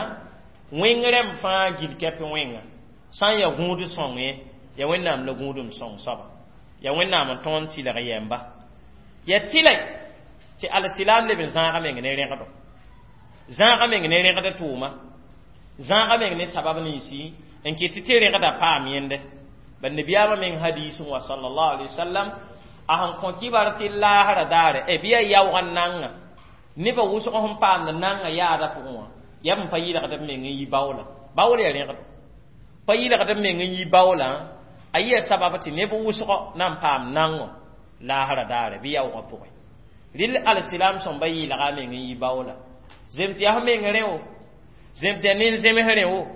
wẽng rẽmb fãa gil kɛp wẽnga sã n yaa gũud sõng ye ya Wẽnnaam la gũudum sõng soaba ya Wẽnnaam n tõog n tɩlg yɛmba ya tɩlɛ tɩ alsilaam leb n zãaga meng ne rẽgdo zãaga meng ne rẽgd tʋʋma zãaga meng ne sabab ninsi n kɩt tɩ rẽgda paam yẽnde bal nabiyaamã meng hadiis wa sallallahu alaihi wasallam a sẽn kõ kibar tɩ laasra daare e bɩ yaa yaoog n nanga nebã wʋsg sẽn paamd nanga yaada pʋgẽ wã Yaa b pa yɩlgd b meng n yi baoola baool yaa rẽgdo pa yɩlgd b meng n yi baoolã a yɩa sabab tɩ neb wʋsgɔ na n paam nango laasra daare bɩ yaoogã pʋgẽ rɩl alsilam sõmba yɩɩlga a meng n yi baoola zem tɩ yaa f meng rẽ wo zem tɩ yaa nen-zems rẽ wo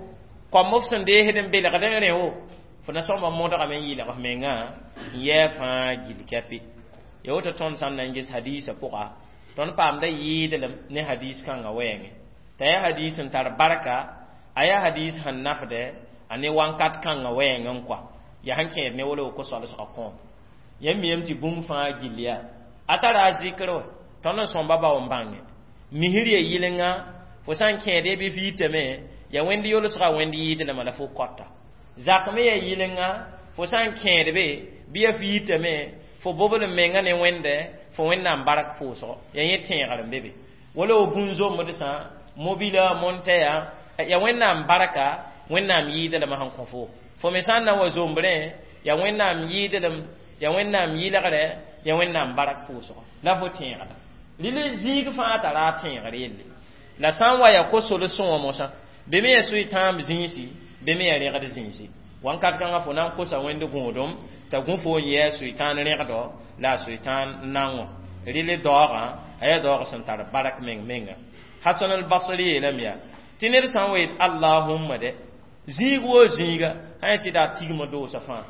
kõm f sẽn deesd n belgd n rẽ wo fo na sõmba modgame n yɩlg f mengã n yɛɛ fãa gill kɛpɩ ya woto tõnd sã n na n ges hadiisã pʋga tõnd paamda yɩɩdlem ne hadiis kãngã wɛɛngẽ t'a yaa hadiis n tar barka a yaa hadiis sẽn nafdɛ a ne wãnkat kãngã wɛɛng n kɔa yaa sẽn kẽed ne wolo ko-solsgã kõom yãmb miyame tɩ bũmb fãa gill yaa a tara a zikr wa tõnd n sõmba bao n bãnge misr ya yɩlenga fo sã n kẽede bɩ f yitame ya wẽnd yolsga wẽnd yɩɩdlema la fo kɔta zak me ya yɩlenga fo sã n kẽed be bɩ ya f yitame fo bobl n menga ne wẽnde fo wẽnnaam bark pʋʋsgo ya yẽ tẽegr n be be wala wo bũn-zombd sã mobila montɛya ya wẽnnaam barka wẽnnaam yɩɩdlema sẽn kõ fo fo me sã n na wa zombrẽ ya wẽnnaam yɩɩdlem ya wẽnnaam yɩlgrɛ ya wẽnnaam bark pʋʋsgo la fo tẽegda rɩl zĩig fãa tara a tẽegr yelle la sã n wa ya ko-solsẽ wã mosã be me ya soy-tãamb zĩisi be me ya rẽgd zĩisi wãnkat kãngã fo na n kosa wẽnd gũudum t'a gũ fo n yɛɛ soy-tãan rẽgdo la a soy-tãan nango rɩl daoogã a yaa daoog sẽn tar bark meng menga hasan al-basri yeelame yaa tɩ ned sã n wa yet allahumma dɛ zĩig woo zĩiga sã n sɩda a tigma doosa fãa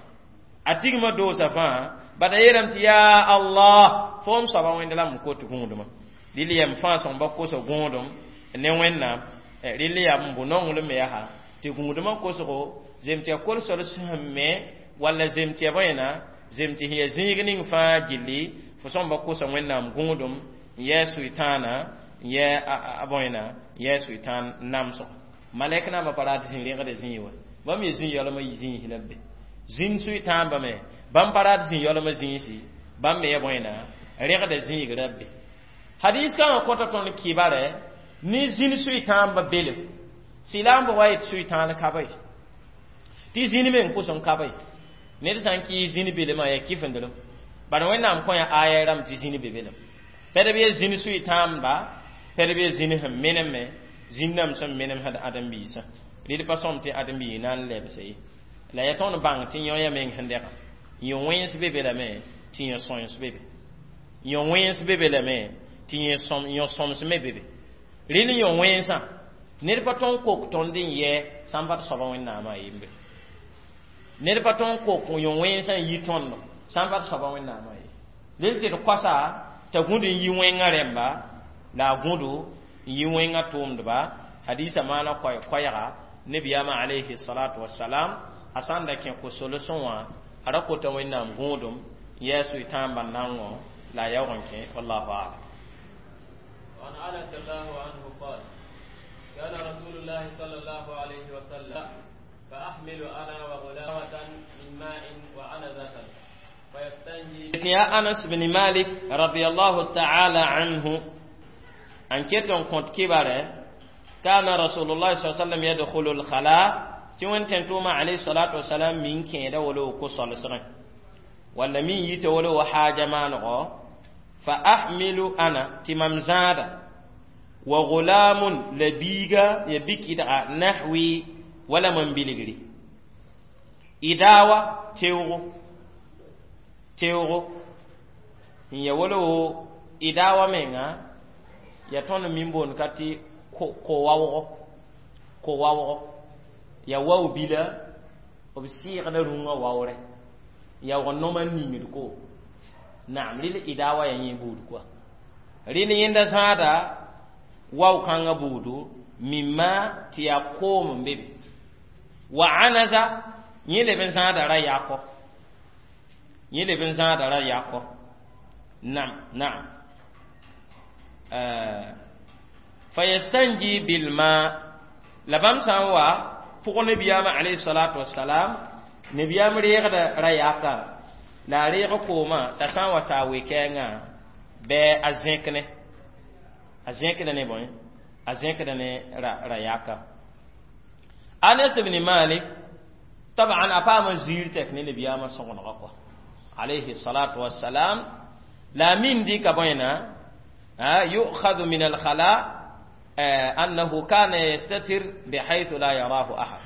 a tigma doosa fãa bad a yeelame tɩ yaa allah foom soaba wẽnd la m kot gũudmã rɩl yɛm fãa sõmba kosa gũudum ne wẽnnaam rɩl yaa n bʋ nonglem me yaa tɩ gũudmã kosgo zem tɩ ya kol-sol sẽn me walla zem tɩ ya bõena zem tɩ sẽn ya zĩig ning fãa gilli fo sõmba kosa wẽnnaam gũudum n yɛɛ sʋɩtãana n yɛɛ a bõena n yɛɛ sʋɩtãan namsgo malɛk naambã pa rat zĩ rẽgda zĩig wa bãmb ye zĩ yaolmã zĩis la b be zĩnd sʋɩtãambã me bãmb pa rat zĩ yaolmã zĩisi bãmb me ya bõena rẽgda zĩig ra be hadis kãngã kõta tõnd kɩbarɛ ne zĩn sʋɩtãambã belem sɩlaambã wa yet sʋɩtãan ka ba tɩ zĩn meng pʋs n ka ba ned sã n kɩ zĩn belmã yaa kɩfendelem bad wẽnnaam kõ ya aya rãmb tɩ zĩn be belem pɛd b ye zĩn sʋɩtãamba pɛd b ye zĩn sẽn menem me zĩn-dãmb sẽn menem sẽd ãdem-biisã rɩd pa sõm tɩ ãdem-biig na n lebse ye la ya tõnd bãng tɩ yõ ya meng sẽn dɛga yõ wẽns be be lame tɩ yõ sõens be be yõ wẽns be be lame tɩ yõ sõms me be be rɩl yõ wẽnsã ned pa tõn kok tõnd n yɛ sã n pa t soaba wẽnnaamã yembre ned pa tõn kok yõ wẽnsã n yi tõndo sã n pa t soaba wẽnnaamã ye rel tɩ d koasa t'a gũd n yi wẽngã rẽmba la a gũdo n yi wẽngã tʋʋmdba hadisa maana koɛɛ-koɛɛga nebiyaamã alayhi salatu wasalam a sã n da kẽ ko-solsẽ wã a ra kota wẽnnaam gũudum n yɛɛ sʋɩtãambã nango la a yaoog n kẽ wallahu alam وعن انس الله عنه قال كان رسول الله صلى الله عليه وسلم فاحمل انا وغلامة من ماء وعنزة فيستنجي يا أنس بن مالك رضي الله تعالى عنه أن كتن كنت كبره كان رسول الله صلى الله عليه وسلم يدخل الخلاء tɩ wẽn tʋʋma alayhi salatu wasalam min kẽeda wolo ko solsgẽ walla min yita wolo wa haaja maanego fa ahmilu ana tɩ mam zãada wa gulamun la biiga ya bikidga nahwi wala mam bilgri idawa teoogo teoogo n ya wolo idawa menga ya tõnd min boond ka tɩ ko-waoogo ko-waoogo ya wao bila b sɩɩgda rũngã waoorɛ yaoog noma n ningd ko naam rɩl idawa ya yẽ buud koa rɩl yẽnda zãada wao kãngã buudu mimma tɩ yaa koom n be be wa anaza yẽ leb n zãada ra yakɔ yẽ leb n zãada ra yakɔ nam naam fayastanji bilma la bãmb sã n wa pʋg nebiyaamã alayhi salatu wasalam nebiyaam reegda ra yaka la a reeg koomã t'a sã n wa saa we-kɛɛngã bɩ a zẽk ne a zẽkda ne bõe a zẽkda ne ra yaka anas ibn malik taban a paama ziir tɛk ne nebiyaamã sõgenegã kɔa alayhi salatu wasalam la a min dɩka bõena yu'khadu min alkhala أنه كان يستتر بحيث لا يراه أحد.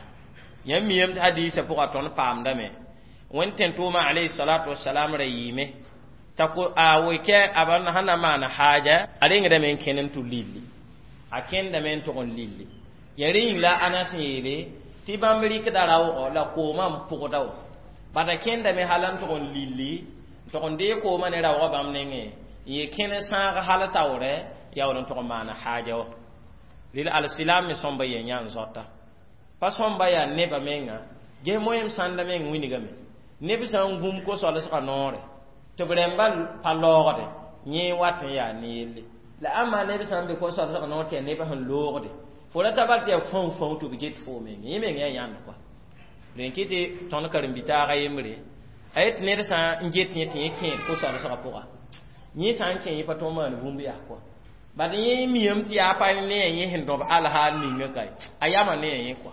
Yãmb miyame tɩ hadiisã pʋga tõnd paamdame wẽnd tẽn-tʋʋmã alayhi salatu wasalam ra yɩɩme t'a ko a wekɛ a ba sẽn na maan haaja a rengdame n kẽnd n tʋ lilli a kẽndame n tʋg n lilli ya rẽ yĩng la Anas n yeele tɩ bãmb rɩkda raoogɔ la koomã n pʋgda wa bad a kẽndame hal n tʋg n lilli n tʋg n dee koomã ne raoogã bãmb nengẽ n ye kẽn sãag hal taoorɛ yaool n tʋg n maana haaja wa rɩl alsilam me sõmba yen yã n zoata pa sõmba yaa nebã menga ges moẽm sãnda meng wilgame neb sã n gũm ko-solsgã noore tɩ b rẽmba pa laoogde yẽ wat n yaa ne yelle la ãmba neb sã n be ko-solsgã noor tɩ yaa nebã sẽn loogde fo ra ta bal tɩ yaa fãu fãu tɩ b get foo meng yẽ meng yaa yãnd kɔa rẽn kɩ tɩ tõnd karen-bi-taagã yembre a yet ned sã n get yẽ tɩ yẽ kẽed ko-solsgã pʋga yẽ sã n kẽ yẽ pa tõog maan bũmb yaa kɔa bad yẽ miyame tɩ yaa pa ne a yẽ sẽn dõb alhaal ninga ka a yama ne a yẽ kɔa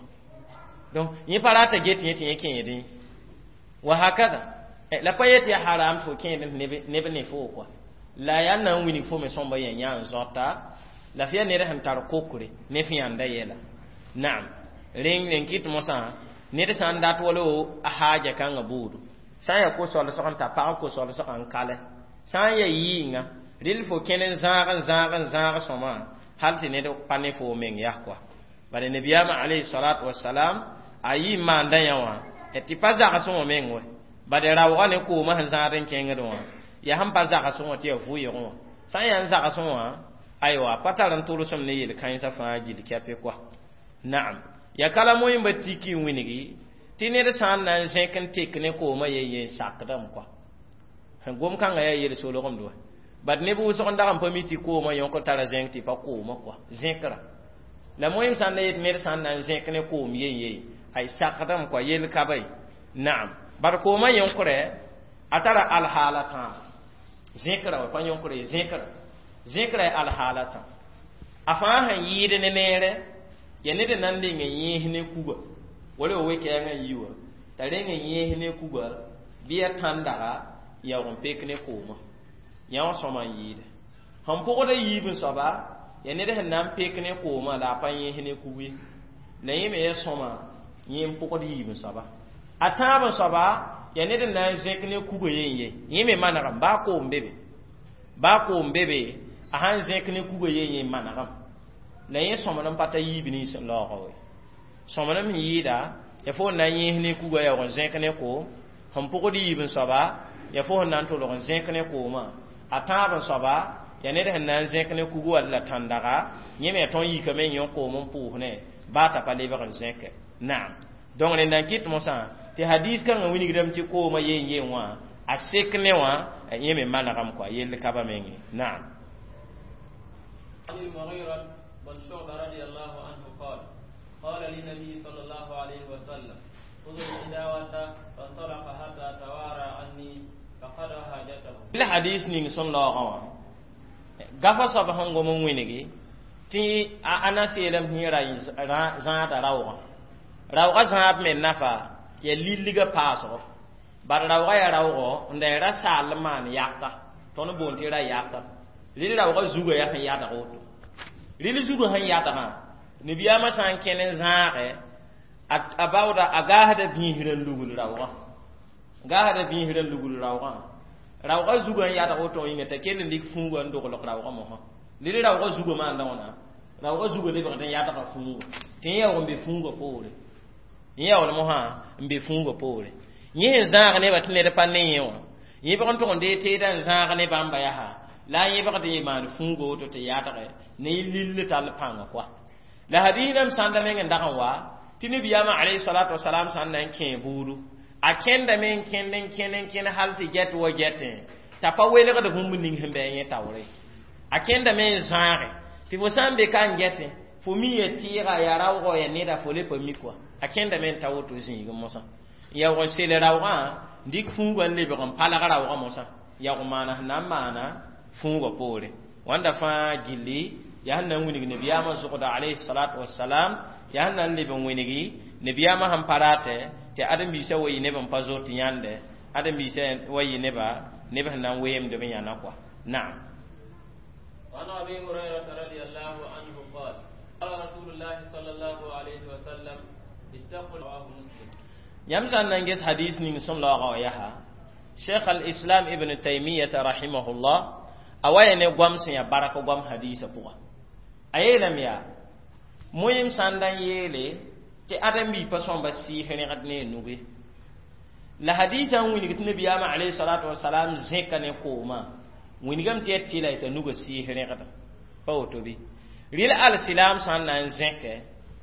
donc yẽ pa rata get yẽ tɩ yẽ kẽedẽ wa hakada la pa yet yaa haram tɩ fo kẽed neb ne fo kɔa la yaa na n wilg fo me sõmba yã yã n zoata la f yaa ned sẽn tar kokre ne f yãnda yɛla naam rẽng rẽn kɩt mosã ned sã n dat wala a haaja kãngã buudu sã n yaa ko-solsg n ta pag ko-solsgã n kalɛ sã n yaa yɩɩnga rɩl fo kẽn n zãag n zãag n zãag sõma hal tɩ ned pa ne fo meng yaa kɔa bala nabiyaamã alayhi salatu wasalam a yɩ n maanda yã wã tɩ pa zagsẽ wã meng wɛ bad raoogã ne koomã sẽn zãad n kẽngd wã yaa sẽn pa zagsẽ wã tɩ yaa vʋɩɩgẽ wã sã n yaa n zagsẽ wã aywa pa tar n tʋlsem ne yel-kãensã fãa gill kɛpɩ kɔa naam ya kala moẽmba tiki n wilgi tɩ ned sã n na n zẽk n tek ne koomã yen yen sakdame kɔa gom-kãngã yaa yel-solgemd wa bad neb wʋsg n dag n pa mi tɩ koomã yõk tara zẽng tɩ pa koomã kɔa zẽkra la moẽm sã n na yet ned sã n na n zẽk ne koom yen ye ay sakdame kɔa yel ka ba ye naam bad koomã yõkrɛ a tara alhaala tãabo zẽkra wa pa yõkre zẽkra zẽkra ya alhaala tã a fãa sẽn yɩɩd ne neere ya ned n na n leng n yẽes ne kuga wala wa we-kɛɛngã n yi wa t'a reng n yẽes ne kuga bɩ ya tãndaga yaoog n pek ne koomã yã wã sõma n yɩɩde sẽn pʋgda yiib n soaba ya ned sẽn na n pek ne koomã la a pa yẽes ne kug ye la yẽ me ya sõma yẽ n pʋgd yiib n soaba a tãab n soaba ya ned n na n zẽk ne kuga yen ye yẽ me manegame baa koom be be baa koom be be a sãn zẽk ne kuga yen ye manegame la yẽ sõmd n pa ta yiib nins n laoogã we sõmd n yɩɩda ya fo n na n yẽes ne kuga yaoog n zẽk ne koom sẽn pʋgd yiib n soaba ya fo sẽn na n tʋlg n zẽk ne koomã a tãab n soaba ya ned sẽn na n zẽk ne kugu wall la tãndaga yẽ me ya tõnd yikame n yõ koom n pʋʋs ne baa t'a pa lebg n zẽke naam donc rẽnd n kɩt mosã tɩ hadis kãngã wilgdame tɩ koomã yen yen wã a sek ne wã yẽ me manegame kɔa yell ka ba menge naam. عن المغيرة بن شعبة رضي الله عنه قال قال للنبي صلى الله عليه وسلم خذ الإداوة فانطلق حتى توارى عني فقضى حاجته. La hadis ning sẽn laoogã wã gafa soab sẽn gom n wĩngi tɩ a Anas yeelame tɩ yẽ ra zãada raoogã raoogã zãab me nafa ya lilgã paasgo bad raoogã yaa raoogɔ n da ra saal n maan yaka tõnd boond tɩ ra yaka rɩl raoogã zugã yaa sẽn yadg woto rɩl zugã sẽn yadgã nabiyaamã sã n kẽn n zãage a baooda a gaasda bĩisr n lugl raoogã gaasda bĩisr n lugl raoogã raoogã zugã n yadg woto yĩnga t'a kell n lik fũugã n doglg raoogã mosã rɩl raoogã zugã maanda wãna raoogã zugã lebgd n yadga fũugã tɩ yẽ yaoog n be fũugã poore yẽ yaool mosã n be fũugã poore yẽ sẽn zãag nebã tɩ ned pa ne yẽ wã yẽbg n tʋg n dee teedã n zãag ne bãmba yaa la a yẽbgd n maan fũuga woto tɩ yadge ne y lill tall pãnga koa la hadiisdame sãnda meng n dag n wa tɩ nabiyaamã alayhi salatu wasalam sã n na n kẽ buudu a kẽndame n kẽnd n kẽnd n kẽnd hal tɩ gɛt wa gɛtẽ t'a pa welgd bũmb ning sẽn bɩ a yẽ taoore a kẽndame n zãage tɩ fo sã n be ka n gɛtẽ fo mi ya tɩɩga ya raoogɔ ya neda fo le pa mi kɔa a kẽndame n ta woto zĩig mosã yaoog n sel raoogã n dɩk fũugã n lebg n palg raoogã mosã yaoog maana sẽn na n maana fũugã poore wãnda fãa gilli yaa sẽn na n wilg nabiyaamã zʋgda alayhi salatu wasalam yaa sẽn na n leb n wĩngi nabiyaamã sẽn pa ratɛ tɩ ãdem-biisã wa yɩ neb n pa zoet yãnde ãdem-biisã wa yɩ neba neb sẽn na n weemd b yãna kɔa naam. وعن أبي هريرة رضي الله عنه قال قال رسول الله صلى الله عليه وسلم اتقوا رواه مسلم. Yãmb sã n na n ges hadis ning sẽn laoogã wã yaa Cheikh al-Islam Ibn Taymiyata rahimahullah a wa ya ne goam sẽn yaa bark goam hadisã pʋga a yeelame yaa moẽm sã n da n yeele tɩ ãdem-bi pa sõmba sɩɩs rẽgd ne a nuge la hadisã n wilg tɩ nabiyaamã alayhi salatu wasalam zẽka ne koomã wilgame tɩ yaa tɩla t'a nugã sɩɩs rẽgda pa woto bɩ rɩl alsilam sã n na n zẽkɛ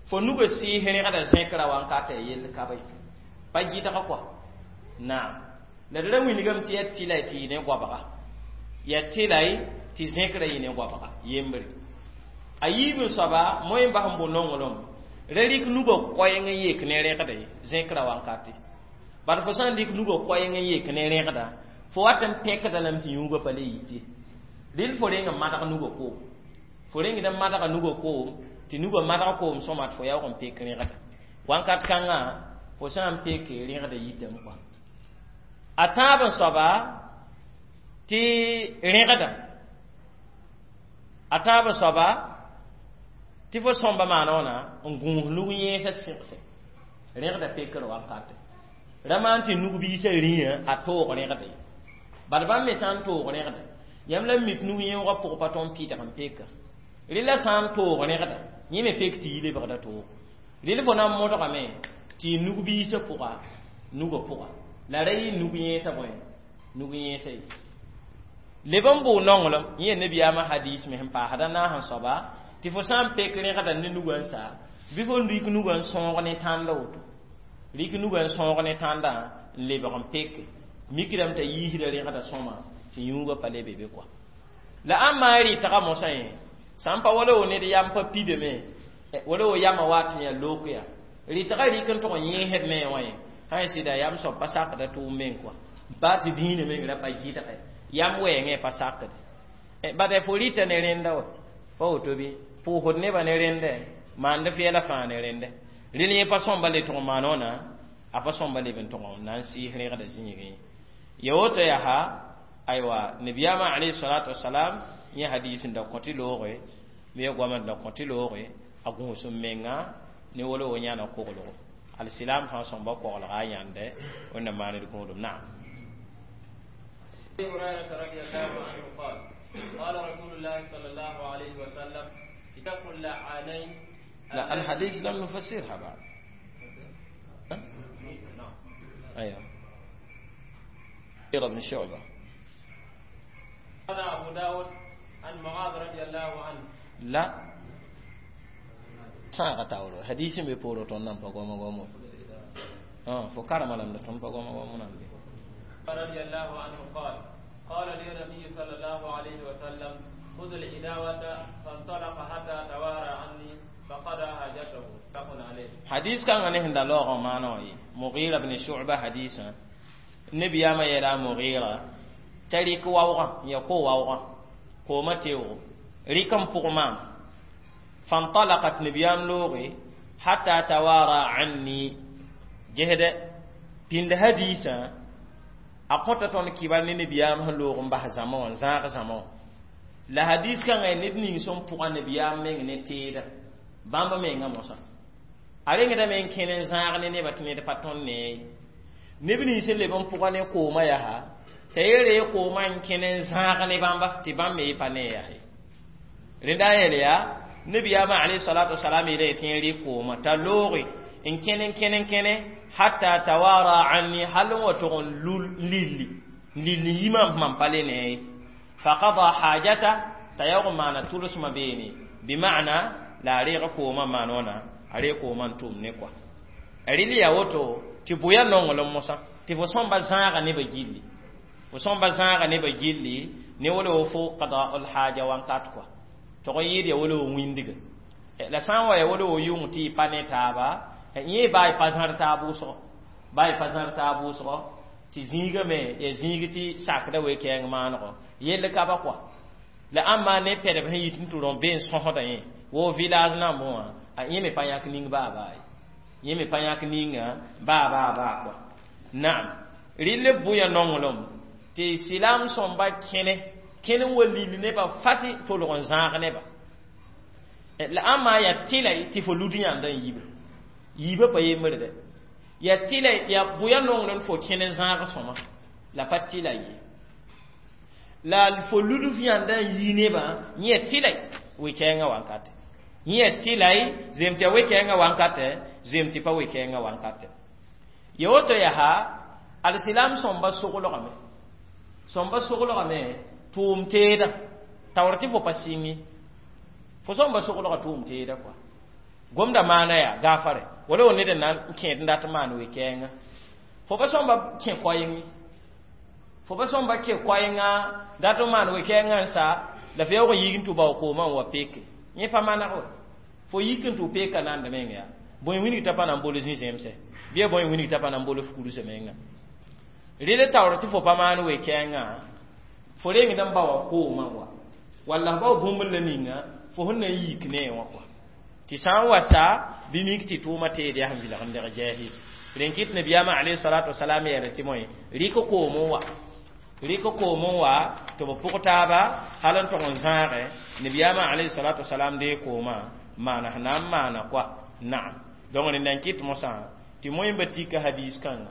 fo nugã sɩɩs rẽgda zẽkra wankata ya yell ka ye pa gɩdga kɔa naam la d ra wilgame tɩ yaa tɩla tɩ yɩ ne goabga yaa tɩla tɩ zẽkra yɩ ne goabga yembre a yiib n soaba moẽ bas n bʋ nonglem ra rɩk nugã koɛɛng n yek ne rẽgda ye zẽkra wankate bad fo sã n dɩk nugã koɛɛng n yek ne rẽgda fo wat n pẽkda lame tɩ yũugã pa le yit ye rɩl fo reng n madg nugã koom fo rengd n madga nugã koom tɩ nugã madg koom sõma tɩ fo yaoog n pek rẽgda wãnkat kãngã fo sã n peke rẽgda yitame kɔa a tãab n soaba tɩ rẽgda a tãab n soaba tɩ fo sõmba maana wãna n gũus nug yẽesã sɩgse rẽgda pekr wankate ra maan tɩ nug-biisã rĩyã a toog rẽgda ye bad bãmb me sã n toog rẽgda yãmb la mik nug yẽoogã pʋg pa tõnd pɩdg n peka rɩ la sã n toog rẽgda yẽ me pek tɩ yi lebgda toog rɩl fo na n modgame tɩ y nug-biisã pʋga nugã pʋga la ra yɩ nug yẽesã bõe nug yẽesã ye leb n bʋʋ nonglem yẽ nabiyaamã hadis me sẽn paasda naas n soaba tɩ fo sã n pek rẽgda ne nugã n sa bɩ fo rɩk nugã n sõog ne tãnda woto rɩk nugã n sõog ne tãndã n lebg n peke mikdame t'a yiisda rẽgda sõma tɩ yũugã pa le be be kɔa la ãmb maa rɩtga mosã yẽ sã n pa wala wo ned yam pa pidame wala wo yamã wa tɩ yaa look yaa rɩtga rɩk n tʋg n yẽesd me wã ye sã n sɩda yam soab pa sakda tʋʋm meng kɔa baa tɩ dĩinã meng ra pa gɩdge yam wɛɛngẽ pa sakde bad fo rɩta ne rẽnda wa pa woto bɩ pʋʋsd nebã ne rẽndɛ maand fɛɛla fãa ne rẽndɛ rel yẽ pa sõmba le tʋg maan wãna a pa sõmba leb n tʋg n na n sɩɩs rẽgda zĩigẽ ya woto yaa aywa nabiyaamã alayhi salatu wasalam yẽ hadis n da kõ tɩ looge bɩ ya goamã n da kõ tɩ looge a gũus n menga ne wala wo yãna koglgo alsilam fãa sõmba koglga a yãnde wẽnna maand gũudum naam. أبي هريرة رضي الله عنه قال قال رسول الله صلى الله عليه وسلم اتقوا اللعانين. لا الحديث لم نفسرها بعد. نعم. أيوه بن شعبة. قال أبو داود عن معاذ رضي الله عنه. لا sãaga taooro hadis n be poorẽ tõnd nan pa goama goamo fo karema lame la tõnd pa goama goamo nan be. رضي الله عنه قال قال لي النبي صلى الله عليه وسلم خذ الإداوة فانطلق حتى توارى عني فقضى حاجته متفق عليه. Hadis kãngã ne sẽn da laoogã maana wã ye Mugira bn Shu'ba hadisã nabiyaamã yeela Mugira t'a rɩk waoogã n ya ko-waoogã koomã teoogo rɩk n pʋg maam fantalaqat nabiyaam looge hatta tawara anni gesdɛ pĩnd hadisã a kõta tõnd kɩbar ne nabiyaam sẽn loog n bas zãma wã n zãag zãma wã la hadis kãngã ned ning sẽn pʋga nabiyaam meng ne teeda bãmb mengã mosã a rengdame n kẽne n zãag ne nebã tɩ ned pa tõnd ne ye neb nins sẽn leb n pʋga ne koomã yaa t'a yeere koomã n kẽne n zãag ne bãmba tɩ bãmb me pa ne yaa ye rẽnda a yeel yaa nabiyaamã alayhi salatu wasalam yeela tɩ yẽ rɩk koomã t'a looge n kẽne n kẽne n kẽne hatta tawara anni hal n wa tʋg n lilli n lilli yimã mam pa le ne ye faqada hajata t'a yaoog n maana tʋlsmã beene bima'na la a reeg koomã maan wãna a reeg koomã n tʋm ne kɔa rɩl yaa woto tɩ bʋya nonglem mosã tɩ fo sõmba zãaga nebã gilli fo sõmba zãaga nebã gilli ne wala wo fo qada'ul haja wãnkat kɔa tog n yɩɩd ya wala wo wĩndga la sã n wa ya wala wo yʋng tɩ y pa ne taaba yẽ baa y pa zãr taab wʋsgo baa y pa zãr taab wʋsgo tɩ zĩigã me ya zĩig tɩ sakda we-kɛɛng maanego yell ka ba kɔa la ãmba ne pɛdb sẽn yit n tɩ rõ be n sõsda yẽ wo village nambẽ wã a yẽ me pa yãk ning baa baa ye yẽ me pa yãk ninga baa baa baa kɔa naam rɩl b bʋya nonglem tɩ silam sõmba kẽne Kẽn n wa lil nebã fasi tolg n zãag nebã la ãmma yaa tɩla tɩ fo lud yãnd n yibe yiibã pa yembre dɛ yaa tɩla yaa bʋya nongr fo kẽn n zãag sõma la pa tɩla ye la fo lud f yãnd n yi nebã yẽ tɩla we-kɛɛngã wankate yẽ tɩla zem tɩ ya we-kɛɛngã wankatɛ zem tɩ pa we-kɛɛngã wankatɛ ya woto yaa alsilam sõmba soglgame sõmba soglgame tʋʋm teeda taoor tɩ fo pa sɩng ye fo sõmba soglga tʋʋm teeda kɔa gomda maana yaa gaafare wala wo ned n na n kẽed n dat n maan we-kɛɛngã fo pa sõmba kẽ koɛɛng ye fo pa sõmba ke koɛɛngã dat n maan we-kɛɛngã n sa la f yaoog n yik n tʋ bao koomã n wa peke yẽ pa maneg we fo yik n tʋ peka nand meng yaa bõe wilg t'a pa na n bol zĩ-zẽmsɛ bɩ bõe wilg t'a pa na n bol f kursã menga rel taoor tɩ fo pa maan we-kɛɛngã fo rengd n ba wa koomã wa walla f bao bũmb la ninga fo sẽn na n yik ne wã kɔa tɩ sã n wa sa bɩ mik tɩ tʋʋmã teed yaa sẽn vilg n deg jɛɛs rẽn kɩt nabiyaamã alayhi salatu wasalam yeela tɩ moe rɩk koom n wa rɩk koom n wa tɩ b pʋg taaba hal n tog n zãage nabiyaamã alayhi salatu wasalam dee koomã maana sẽn na n maana kɔa naam donc rẽnda n kɩt mosã tɩ moẽmba tika hadis kãnga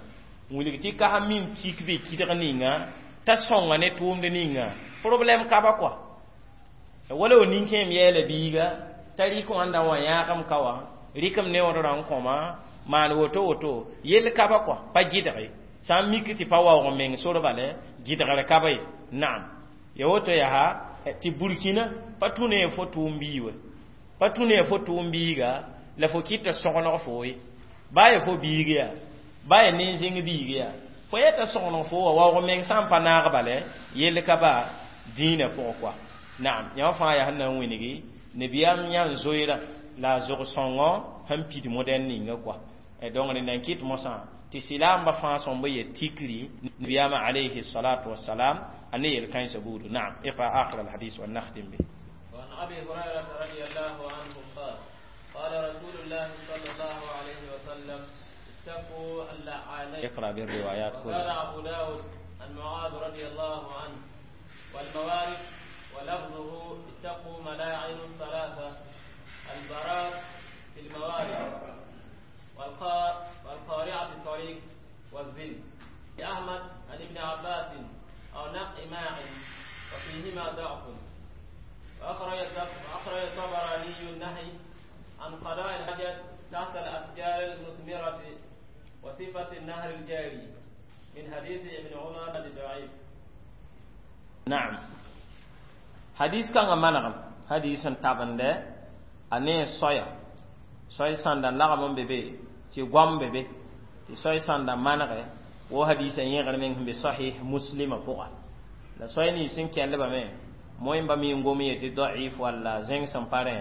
wilg tɩ ka min tik be kɩdg ninga t'a sõnga ne tʋʋmd ninga problème ka ba kɔa wala wo nin-kẽem yɛɛla biiga t'a rɩk wãnda wã yãagem ka wã rɩkem ne wãdrã n kõma maan woto woto yell ka ba kɔa pa gɩdge sã n mik tɩ pa waoog meng sor bale gɩdgr ka ba ye naam ya woto yaa tɩ burkina pa tũ ne fo tʋʋm bii we pa tũ ne fo tʋʋm biiga la fo kɩta sõgeneg fo ye baa ya fo biig yaa baa ya nen-zẽng biig yaa fo yeta sõgeneg fo wa waoog meng sã n pa naag bale yell ka ba dĩinã pʋgẽ kɔa naam yã fãa yaa sẽn na n wĩngi nabiyaam yã n zoeera la a zog sõngõ sẽn pid modɛn ninga kɔa donc rẽnda n kɩt mosã tɩ silaamba fãa sõmb ye tikri nabiyaamã alayhi salatu wasalam a ne yel-kãensã buudu naam اقرأ آخر الحديث ونختم به وعن أبي هريرة رضي الله عنه قال قال رسول الله صلى الله عليه وسلم اتقوا اللعانين اقرأ بالروايات وقال كلها أبو داود عن معاذ رضي الله عنه والموارد ولفظه اتقوا ملاعن الثلاثة البراء في الموارد والقار والقارعة الطريق والذل أحمد عن ابن عباس أو نقع ماع وفيهما ضعف وأخرج وأخرج الطبراني النهي عن قضاء الحاجة تحت الأشجار المثمرة وصفة النهر الجاري من حديث ابن عمر الضعيف naam hadis kãngã manegem hadis sẽn tabende a ne soaya soay sãnda lagem n be be tɩ goam be be tɩ soay sãnda manege wo hadisã yẽgr meng sẽn be sahih muslima pʋga la soay nins sẽn kẽndbame moẽmba mi n gom yetɩ daif walla zẽng sẽn pa rẽ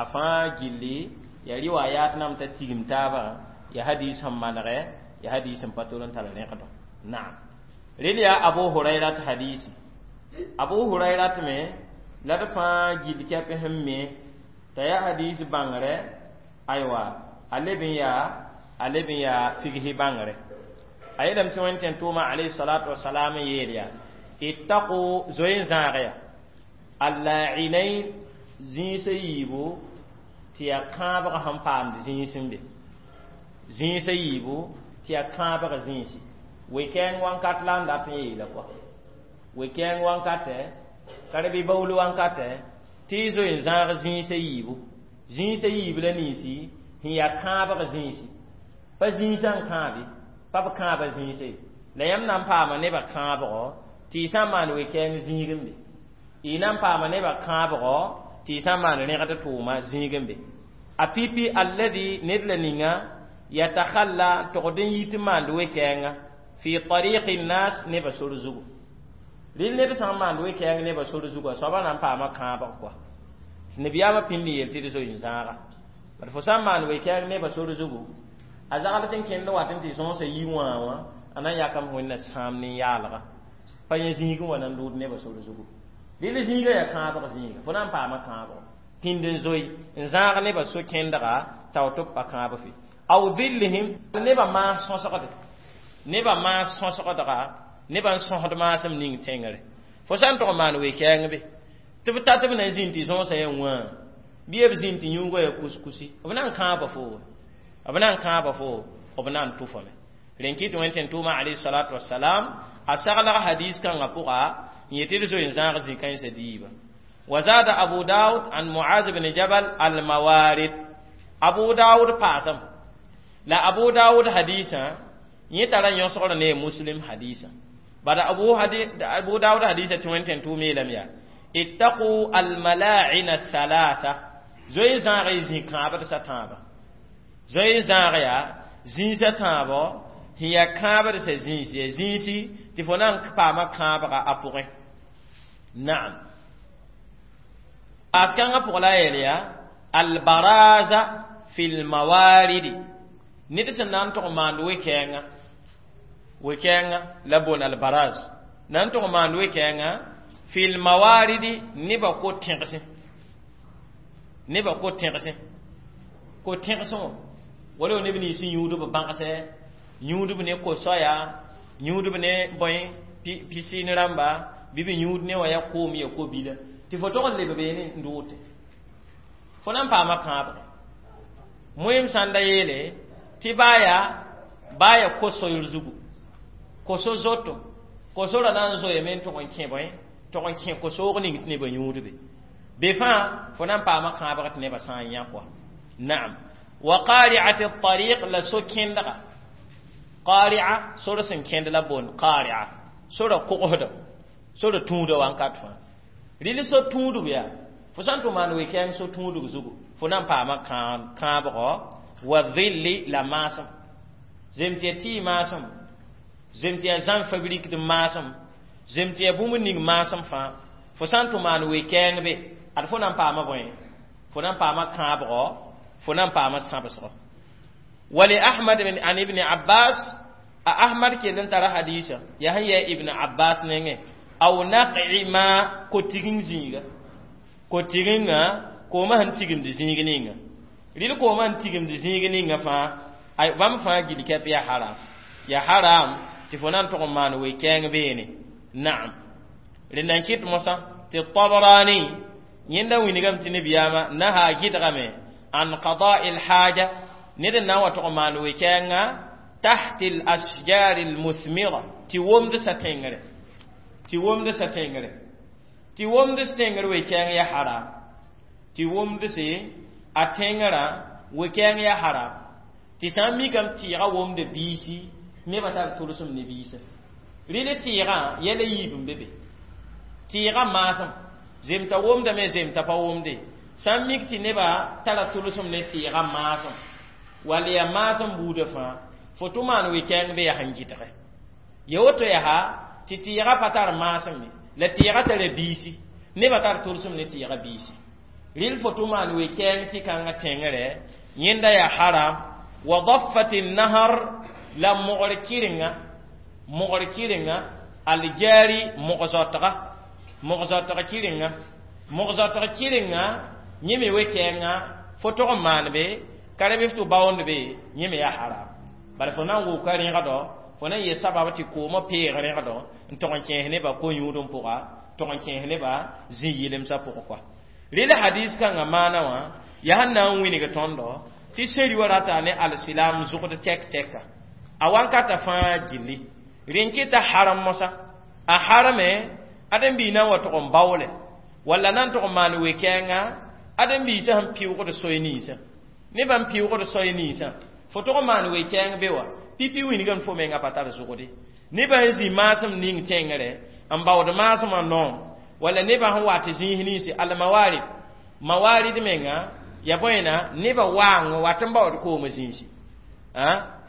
a fãa gilli ya riwayat nam t'a tigim taabã ya hadis sẽn manege ya hadis sẽn pa tol n tar rẽgdo naam rel yaa abu hurairat hadisi abu hurairat me la d fãa gill kɛp sẽn me t'a yaa hadis bãngre aywa a leb n yaa a leb n yaa figsi bãngre a yeelame tɩ wẽnd tẽn tʋʋma alayhi salatu wasalam n yeel yaa ittaqu zoe n zãag ya allainain zĩisã yiibu tɩ yaa kãabg sẽn paamd zĩis n be zĩisã yiibu tɩ yaa kãabg zĩisi we-kɛɛng wãnkat la n dat n yeela kɔa we-kɛɛng wankatɛ ka baool wankatɛ tɩ y zoe n zãag zĩisã yiibu zĩisã yiib la ninsi sẽn yaa kãabg zĩisi pa zĩisã n kãabe pa b kãaba zĩisa ye la yãmb na n paama nebã kãabgɔ tɩ y sã n maan we-kɛɛng zĩig n be y na n paama nebã kãabgɔ tɩ y sã n maan rẽgd tʋʋma zĩig n be a pipi alladi ned la ninga yatakhalla togd n yit n maand we-kɛɛnga fi tariqi nnas nebã sor zugu rɩl ned sã n maand we-kɛɛng nebã sor zugu a soaba na n paama kãabg kɔa nabiyaamã pĩnd n yeel tɩ d zoe n zãaga bad fo sã n maan we-kɛɛng nebã sor zugu a zagl sẽn kẽnd wat n tɩ sõsa yi wã wã a na n yakame wẽnna sãam nin-yaalga pa yẽ zĩig n wa na n lood nebã sor zugu rɩl zĩiga yaa kãabg zĩiga fo na n paama kãabg pĩnd n zoe n zãag nebã so-kẽndga tao tɩ b pa kãab fe aw dhillihim nebã maas sõsgde nebã maas sõsgdga nebã n sõsd maasem ning tẽngre Fo sã n tʋg n maan we-kɛɛng be tɩ b tat b na n zĩnd tɩ zõosã yaa wã bɩ b zĩnd tɩ yũugã yaa kuskusi b na n kãaba fo b na n kãaba fo b na n tʋfame rẽn kɩ tɩ wẽn tʋʋma alayhi salatu wasalam a saglg hadis kãngã pʋga n yetɩ d zoe n zãag zĩ-kãensã diiba. وزاد أبو داود عن معاذ بن جبل الموارد. أبو داود باسم لا أبو داود حديثا يترى ينصر نه مسلم حديثا بعد أبو حديث أبو داود حديثا اثنين وعشرين لم يا اتقوا الملاعن الثلاثة زوي زانغ زين كابر ستابا زوي زانغ يا زين ستابا هي كابر سزين زين سي تفنان كباما كابر أبوه. نعم أسكان بولا يليا البرازة في الموارد نيت سنان تو مان ويكينغا ويكينغا لبون البراز نان تو مان ويكينغا في الموارد نيبا كو تيغسي نيبا كو تيغسي كو تيغسو ولا نيبني سي يودو بانكسه يودو بني كو سويا يودو بني بوين بي سي نرامبا بيبي يود ني ويا كومي كو بيلا tɩ fo tog n leb beene n dʋʋte fo na n paama kãabge moeem sãn da yeele tɩ baa yaa baa ya ko-soyr zugu ko-so zoto ko-sorã na n zoeeme n tʋg n kẽ bõe tʋg n kẽ ko-soog ning tɩ nebã yũudbe be fãa fo na n paama kãabg tɩ nebã sã n yã kɔa. Naam wa qari'ati at-tariq la so-kẽndga qari'a sor sẽn kẽnd la boond qari'a sora kogsda sora tũuda wãnkat fãa rɩl so tũudg yaa fo sã n tʋ maan we-kɛɛng so tũudg zugu fo na n paama kãabgɔ wa dhilli la maasem zem tɩ ya tɩɩ maasem zem tɩ ya zãn fabrikd maasem zem tɩ ya bũmb ning maasem fãa fo sã n tʋ maan we-kɛɛng be ad fo na n paama bõe fo na n paama kãabgɔ fo na n paama sãbsgɔ. Wali Ahmad an ibn Abbas a Ahmad kell n tara hadisa yaa sẽn yɛ Ibn Abbas nengẽ aw naqi ma ko-tiging zĩiga ko-tiginga koomã sẽn tigimd zĩig ninga rɩl koomã sẽn tigimd zĩig ninga fãa ay bãmb fãa gil kɛp yaa haram yaa haram tɩ fo na n tʋg n maan we-kɛɛng beene. Naam rẽnd n kɩt mosã tɩ Tabrani yẽnda wilgame tɩ nebiyaamã naha gɩdgame an qada'i lhaja ned n na n wa tʋg n maan we-kɛɛngã tahti l asjari lmuthmira tɩ womd sa tẽngre tɩ womd sa tẽngre tɩ womd s tẽngr we-kɛɛng ya haram tɩ womd se a tẽngrã we-kɛɛng ya haram tɩ sã n mikame tɩɩgã womda biisi nebã tar tʋlsem ne biisã rɩl tɩɩgã yɛla yiib n be be tɩɩgã maasem zemta womdame zemta pa womde sã n mik tɩ nebã tara tʋlsem ne tɩɩgã maasem wall yaa maasem buudã fãa fo tʋ maan we-kɛɛng be yaa sẽn gɩdge ya woto yaa tɩ tɩɩgã pa tar maasem ye la tɩɩgã tara biisi nebã tar tʋlsem ne tɩɩgã biisi rɩl fo tʋ maan we-kɛɛng tɩ kãngã tẽngre yẽnda yaa haram wa daffat nahar la mogr kɩrenga mogr kɩrenga aljari mog-zoatga mog-zoatg kɩrenga mog-zoatg kɩrenga yẽ me we-kɛɛngã fo tog n maan be ka rẽ bɩ f tɩ baoond be yẽ me yaa haram bala fo na n wʋka rẽgdɔ fo na n yee sabab tɩ koomã peeg rẽgdɔ n tog n kẽes nebã ko-yũud n pʋga tog n kẽes nebã zĩ-yɩlemsã pʋgẽ kɔa rɩl hadis kãngã maana wã yaa sẽn na n wilg tõndo tɩ seri wa rata ne alsilam zʋgd tɛk tɛka a wankata fãa gilli rẽn kɩta haram mosã a harame ãdem-biig na n wa tʋg n baoole walla na n tʋg n maan we-kɛɛngã ãdem-biisã sẽn pɩʋgd soy ninsã nebã n pɩʋgd soy ninsã fo tʋg n maan we-kɛɛng be wa pipi wilgame fo menga pa tar zʋgde nebã sẽn zĩ maasem ning tẽngre n baood maasmã noom walla nebã sẽn wa tɩ zĩis ninsi almawarid mawarid menga ya bõena nebã waang wat n baood koomã zĩisi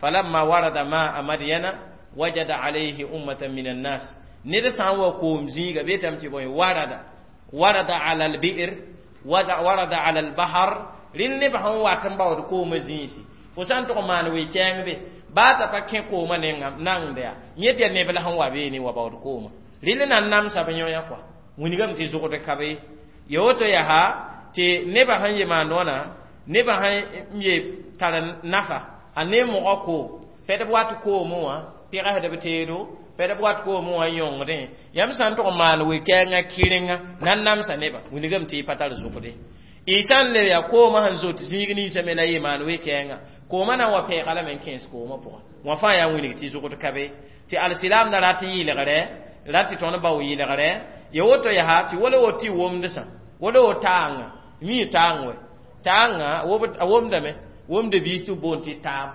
falamma warada maa madyana wajada alayhi ummatan min annas ned sã n wa koom zĩiga betame tɩ bõe warada warada ala albi'r warada ala albahar rɩl nebã sẽn wat n baood koomã zĩisi fo sã n tʋg n maan we-kɛɛng be baa t'a pa kẽ koomã nengã nangda yaa yẽ tɩ yaa neb la sẽn wa beene wa baood koomã rɩl na n namsa b yõ-yã kɔa wilgame tɩ zʋgd ka be ya woto yaa tɩ nebã sẽn ye maand wãna nebã sẽn ye tar nafa a ne mogã koom pɛdb wat koomẽ wã pɩgsdb teedo pɛd b wat koomẽ wã n yõngdẽ yãmb sã n tʋg n maan we-kɛɛngã kɩrenga na n namsa nebã wilgame tɩ y pa tar zʋgde y sã n le yaa koomã sẽn zot zĩig ninsã me la yɩ maan we-kɛɛngã koomã na n wa pɛɛga lame n kẽes koomã pʋga wã fãa yaa wilg tɩ zʋgd ka be tɩ alsilaam na rat n yɩlgre rat tɩ tõnd bao yɩlgre ya woto yaa tɩ wala woto tɩ womdsã wala wo taanga mi taang wɛ taanga a womdame womda biis tɩ b boond tɩ taam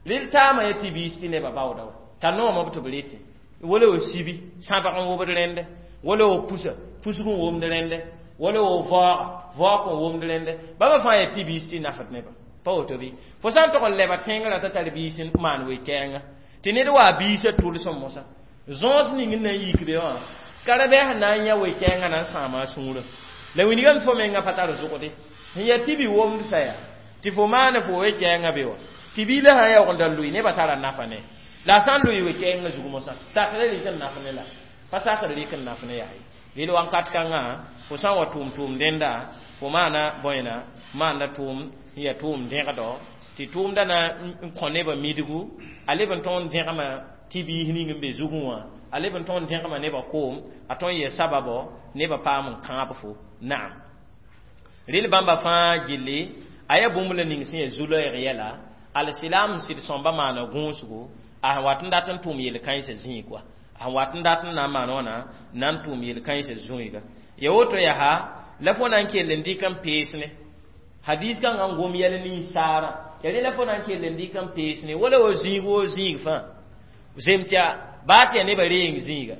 rel taamã ya tɩ biis tɩ nebã baooda wa t'a noomã b tɩ b rete wala wo sibi sãbg n wobd rẽnde wala wo pusa pusg n womd rẽnde wala wo vaooga vaoog n womd rẽnde bãmba fãa yaa tɩ biis tɩ nafd nebã pa woto bɩ fo sã n tog n leba tẽngrã t'a tar biis n maan we-kɛɛnga tɩ ned waa biisã tʋlsẽ mosã zõos ning n na n yik be wã karabɛɛs na n yã we-kɛɛngã na n sãama a sũurã la wilgame fo mengã pa tar zʋgde sẽn yaa tɩ bi womdsa yaa tɩ fo maana fo we-kɛɛngã be wa tɩ biilã sã n yaoog n da lʋɩ nebã tara nafa ne la a sã n lʋɩ we-kɛɛngã zug mosã sakra rɩk n naf ne la pa sakr rɩk n naf ne yaa ye rel wãnkat kãngã fo sã n wa tʋʋm tʋʋm dẽnda fo maana bõena maanda tʋʋm n yaa tʋʋm dẽgdɔ tɩ tʋʋmda na n kõ nebã midgu a leb n tõog n dẽgma tɩ biis ning n be zugẽ wã a leb n tõog n dẽgma nebã koom a tõe n yɛ sababɔ nebã paam n kãab fo naam rel bãmba fãa gilli a yaa bũmb la ning sẽn yaa zu-loɛɛg yɛla alsilaam sɩd sõmba maana gũusgo a sẽn wat n dat n tʋʋm yel-kãensã zĩig wa a sẽn wat n dat n na n maan wãna na n tʋʋm yel-kãensã zũiga ya woto yaa la fo na n kell n dɩk n pees ne hadis kãngã n gom yɛl ninsaarã ya rẽ la fo na n kell n dɩk n pees ne wala wa zĩig woo zĩig fãa zem tɩ yaa baa tɩ yaa nebã reeng zĩiga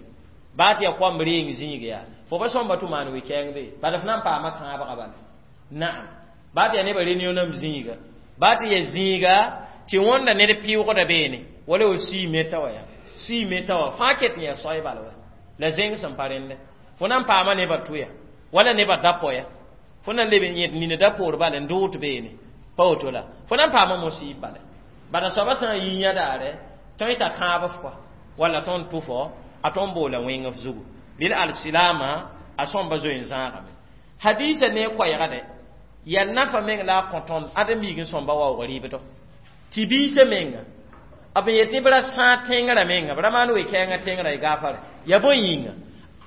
baa tɩ yaa koamb reeng zĩig yaa fo pa sõmba tɩ maan we-kɛɛngde bala f na n paama kãabga bala naam baa tɩ yaa nebã renionam zĩiga baa tɩ yaa zĩiga tɩ wõnda ned pɩʋgda beene wala wa sii meta wa yaa sii meta wa fãa ket n yaa soay bala wa la zẽng sẽn pa rẽndɛ fo na n paama nebã tʋya wala nebã da poya fo na n leb n yẽd nina da poor bala n dʋʋt beene pa woto la fo na n paama mosiib bala bala soaba sã n yi yã daare tõe t'a kãab f kɔa walla tõnd tʋ fo a tõnd boola wẽng f zugu rel alsilaamã a sõmba zoe n zãagame hadiisa ne koɛɛga dɛ yaa nafa meng la a kõ tõnd ãdem-biig n sõmba waoog rɩɩbdɔ tɩ biisã menga b yetɩ b ra sãag tẽngrã menga b ra maan we-kɛɛngã tẽngrã y gaafare ya bõe yĩnga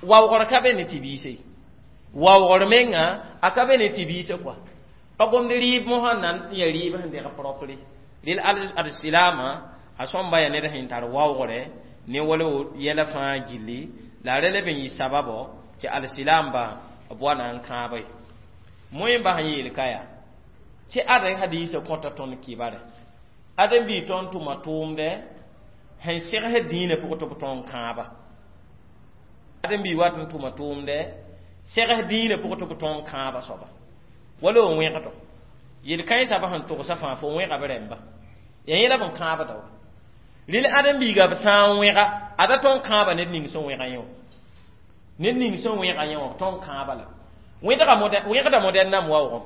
waoogr ka be ne tɩ biise ye waoogr menga a ka be ne tɩ biisã kɔa pa gomd rɩɩb mosã n na n ya rɩɩb sẽn deg propre rel alsilaamã a sõmba yaa ned sẽn tar waoogre ne wala yɛla fãa gilli la a ra leb n yɩ sababɔ tɩ alsilaamba b wa na n kãaba ye moẽmba sẽn yeel ka yaa tɩ ad hadiisã kõta tõnd kibare ãdem-biig tõnd tʋma tʋʋmdɛ sẽn segsd dĩinã pʋgẽ tɩ b tõog n kãaba ãdem-biig wat n tʋma tʋʋmdɛ segs dĩinã pʋgẽ tɩ b tõog n kãaba soaba wala n wẽgdo yel-kãensã b sẽn togsã fãa fo wẽga b rẽmba yaa yẽla b n kãabda wa rel ãdem-biiga b sã n wẽga ada tõog n kãaba ned ning sẽn wẽga yẽ wã ned ning sẽn wẽga yẽ wã b tõog n kãaba la wẽgda modɛn-nam waoogem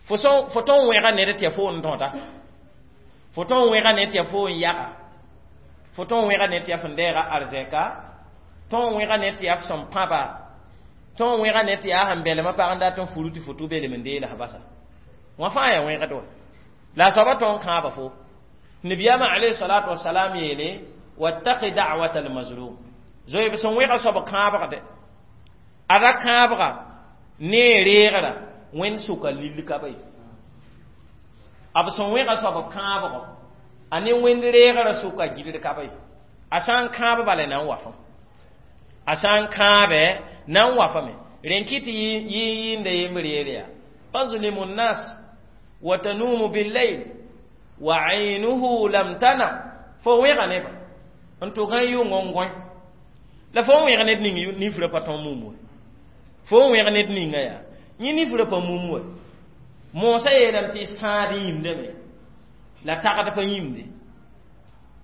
fo fo tõog n wẽga ned tɩ ya fo n dõda fo tõog n wẽga ned tɩ ya fo n yaga fo tõog n wẽga ned tɩ ya fẽn deega arzɛka tõog n wẽga ned tɩ yaa f sẽn pãba tõog n wẽga ned tɩ yaa sẽn belmã pag n dat n furu tɩ fo tʋ belem n deelas basa wã fãa yaa wẽgd wa la a soaba tõog n kãaba fo nabiyaamã alayhi salatu wasalam yeele wattaqi da'wata almazlum zoe b sẽn wẽga soab kãabgde a ra kãabga ne reegra wẽnd sʋka lill ka ba ye b sẽn wẽga soab kãabgo a ne wẽnd reegrã sʋka gilr ka ba ye a sã n kãab bala na n wa fõ a sã n kãabe na n wa fame rẽn kɩ tɩ yɩ yɩɩnda yembr yeel yaa tazlimu nnas wa tanumu billayl wa aynuhu lam tanam fo wẽga nebã n tʋg n yʋng n gõe la fo n wẽg ned ning nifrã pa tõog mum wa fo n wẽg ned ninga yaa yẽ nifrã pa mum wa moosã yeelame tɩ sãad yĩmdame la tagd pa yĩmde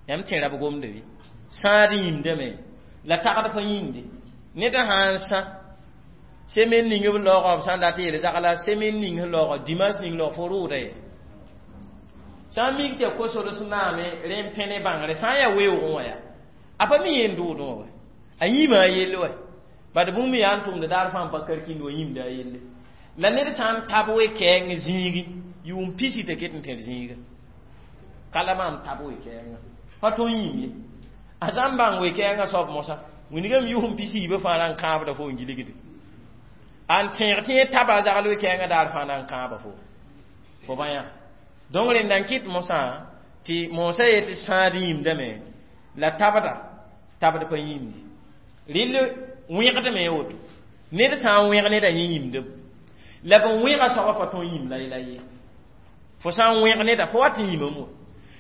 yãmb tẽera b gomda bɩ sãad yĩmdame la tagd pa yĩmde ned sã n sã semaine ning b laoogã b sã n dat n yeel zagla semaine ning sẽn laoogã dimanche ning laoog fo rʋʋda ye sã n mik tɩ yaa kosols naame rẽ n pẽ ne bãngre sã n yaa weoogẽ wã yaa a pa mi yẽn dʋʋdẽ wã wa a yĩma a yell wa bad bũmb yaa n tʋmd daar fãa n pa karkind wa yĩmda a yelle la ned sã n tab we-kɛɛng zĩigi yʋʋm pisi t'a ket n tẽr zĩiga ka la maam tab we-kɛɛngã pa tõe n yĩm ye A sã n bãng we-kɛɛngã soab mosã wingame yʋsem pisi-yiibã fãa na n kãabda fo n gilgde a n tẽeg tɩ yẽ taba a zagl we-kɛɛngã daar fãa na n kãaba fo fo bã yã donc rẽnda n kɩt mosã tɩ mosã yetɩ sãad yĩmdame la tabda tabd pa yĩmde rɩl wẽgdme woto ned sã n wẽg neda yẽ yĩmdem la b wẽga soaba pa tõe n yĩm la la ye fo sã n wẽg neda fo wat n yĩmame wa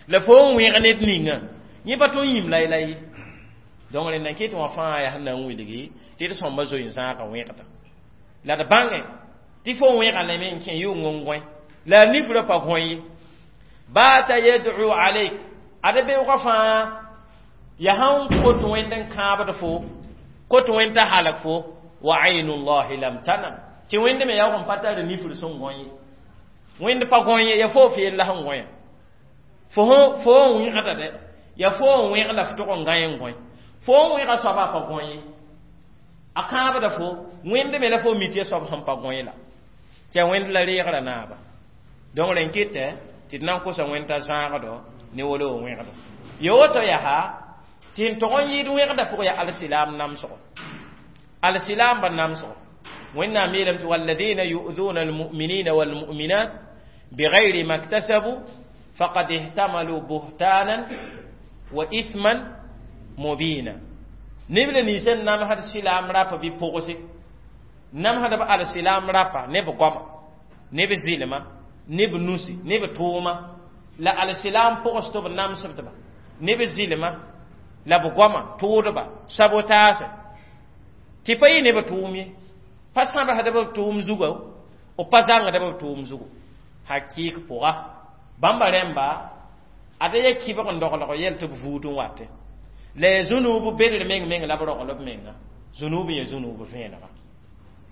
la fo n wẽg ned ninga yẽ pa tõe n yĩm la la ye donc rẽnda n kɩt wã fãa yaa sẽn na n wilgi tɩ d sõmba zoe n zãaga wẽgda la d bãnge tɩ fo wẽga lame n kẽ yʋng n gõe la a nifrã pa gõe ye baata yad'u alayk ad beoogã fãa ya sãn kot wẽnd n kãabd fo kot wẽnd t'a halg fo wa aynu llahi lam tanam tɩ wẽnd me yaoog n pa tar nifr sẽn gõ ye wẽnd pa gõ ye ya fo f yella sẽn gõe fo fo n wẽgda dɛ ya fo n wẽg la f tʋg n gã n gõe fo n wẽga soaba pa gõ ye a kãabda fo wẽnd me la fo mi tɩ soab sẽn pa gõe la tɩ a wẽnd la reegrã naaba donc rẽn kɩtɛ tɩ d na n kosa wẽnd t'a zãagdo ne wolo wẽgdo ya woto yaa tɩ n tog n yɩɩd wẽgda pʋg yaa alsilam namsgo alsilam ba namsgo wẽnnaam yeelame tɩ walladina yu'duna almu'minina walmu'minat bigayri ma iktasabu faqad ihtamalu buhtanan wa ithman mubina neb la nins n namsd silaam rapa bɩ pʋgse namsdb alsilam rapa ne b goama ne b zɩlma ne b nusi ne b tʋʋma la alsilam pʋgs tɩ b namsdba ne b zɩlma la b goama tʋʋdba sabotaase tɩ pa yɩ ne b tʋʋm ye pa sãbsd b tʋʋm zuga b pa zãngd b tʋʋm zugu hakɩɩk pʋga bãmba rẽmba ada ya kibg n doglg yɛl tɩ b vuud n watẽ la ya zũnuub bedr meng meng la b rogl b menga zũnuub n ya zũnuub vẽenega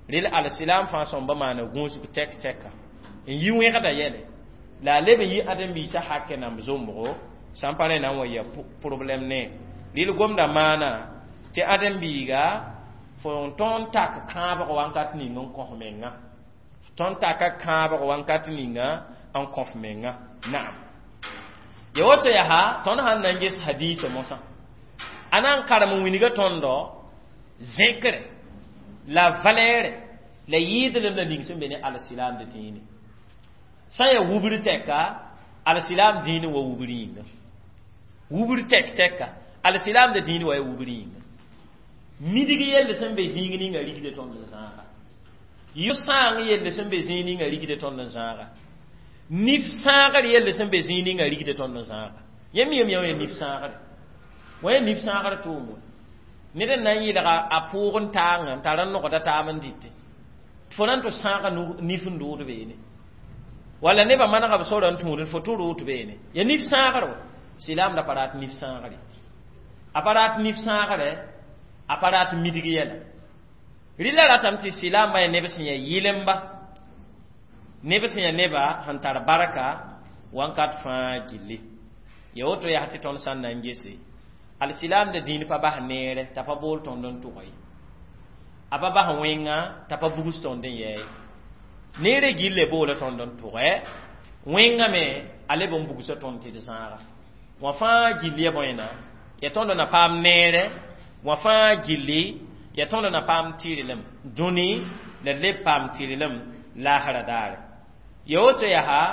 rel alsilam fãa sõmba maana gũusg tɛk tɛka n yi wẽgda yɛle la a leb n yi ãdem-biisã hakɛ namb zombgo sã n pa rẽ na n wa ya problɛm ne rɩl gomda maana tɩ ãdem-biiga fo n tõnd tak kãabg wãnkat ning n kõs menga tõnd taka kãabg wãnkat ninga n kõf menga naam ya woto yaa tõnd sãn na n ges hadiisa mosã a na n karem n wilga tõndo zẽkre la valɛɛre la yɩɩdlem la ning sẽn be ne alsilaamd dĩine sã n yaa wubr tɛka alsilaam dĩine wa wubr yĩnga wubr tɛk tɛka alsilaamd dĩine wa ya wubr yĩnga midg yell sẽn be zĩig ninga rigde tõnd n zãaga yʋ sãang yell sẽn be zĩig ninga rigde tõnd n zãaga nif sãagr yell sẽn be zĩig ninga rigde tõnd n zãaga yẽ miyame yã nif sãagre wa ya nif sãagr tʋʋm we ned n na n yɩlga a pʋʋg n taanga n tar n nogda taab n dɩte fo na n tɩ sãaga nif n dʋʋd beene wala nebã manega b sora n tũud fo tɩ rʋʋt beene ya nif sãagr wa silaamda pa rat nif sãagre a pa rat nif sãagre a pa rat midg yɛla rɩla ratame tɩ silaambã yaa neb sẽn yaa yɩlemba neb sẽn yaa neba sẽn tar barka wãnkat fãa gilli ya woto yaa tɩ tõnd sã n na n gese alsilaamda dĩin pa bas neere t'a pa bool tõnd n tʋga ye a pa bas wẽnga t'a pa bugs tõnd n yɛɛ neere gille boola tõnd n tʋgɛ wẽnga me a leb n bugsa tõnd tɩ d zãaga wã fãa gilli ya bõena ya tõnd na paam neere wã fãa gilli ya tõnd na paam tɩrlem dũni la leb paam tɩrlem laasra daare ya woto yaa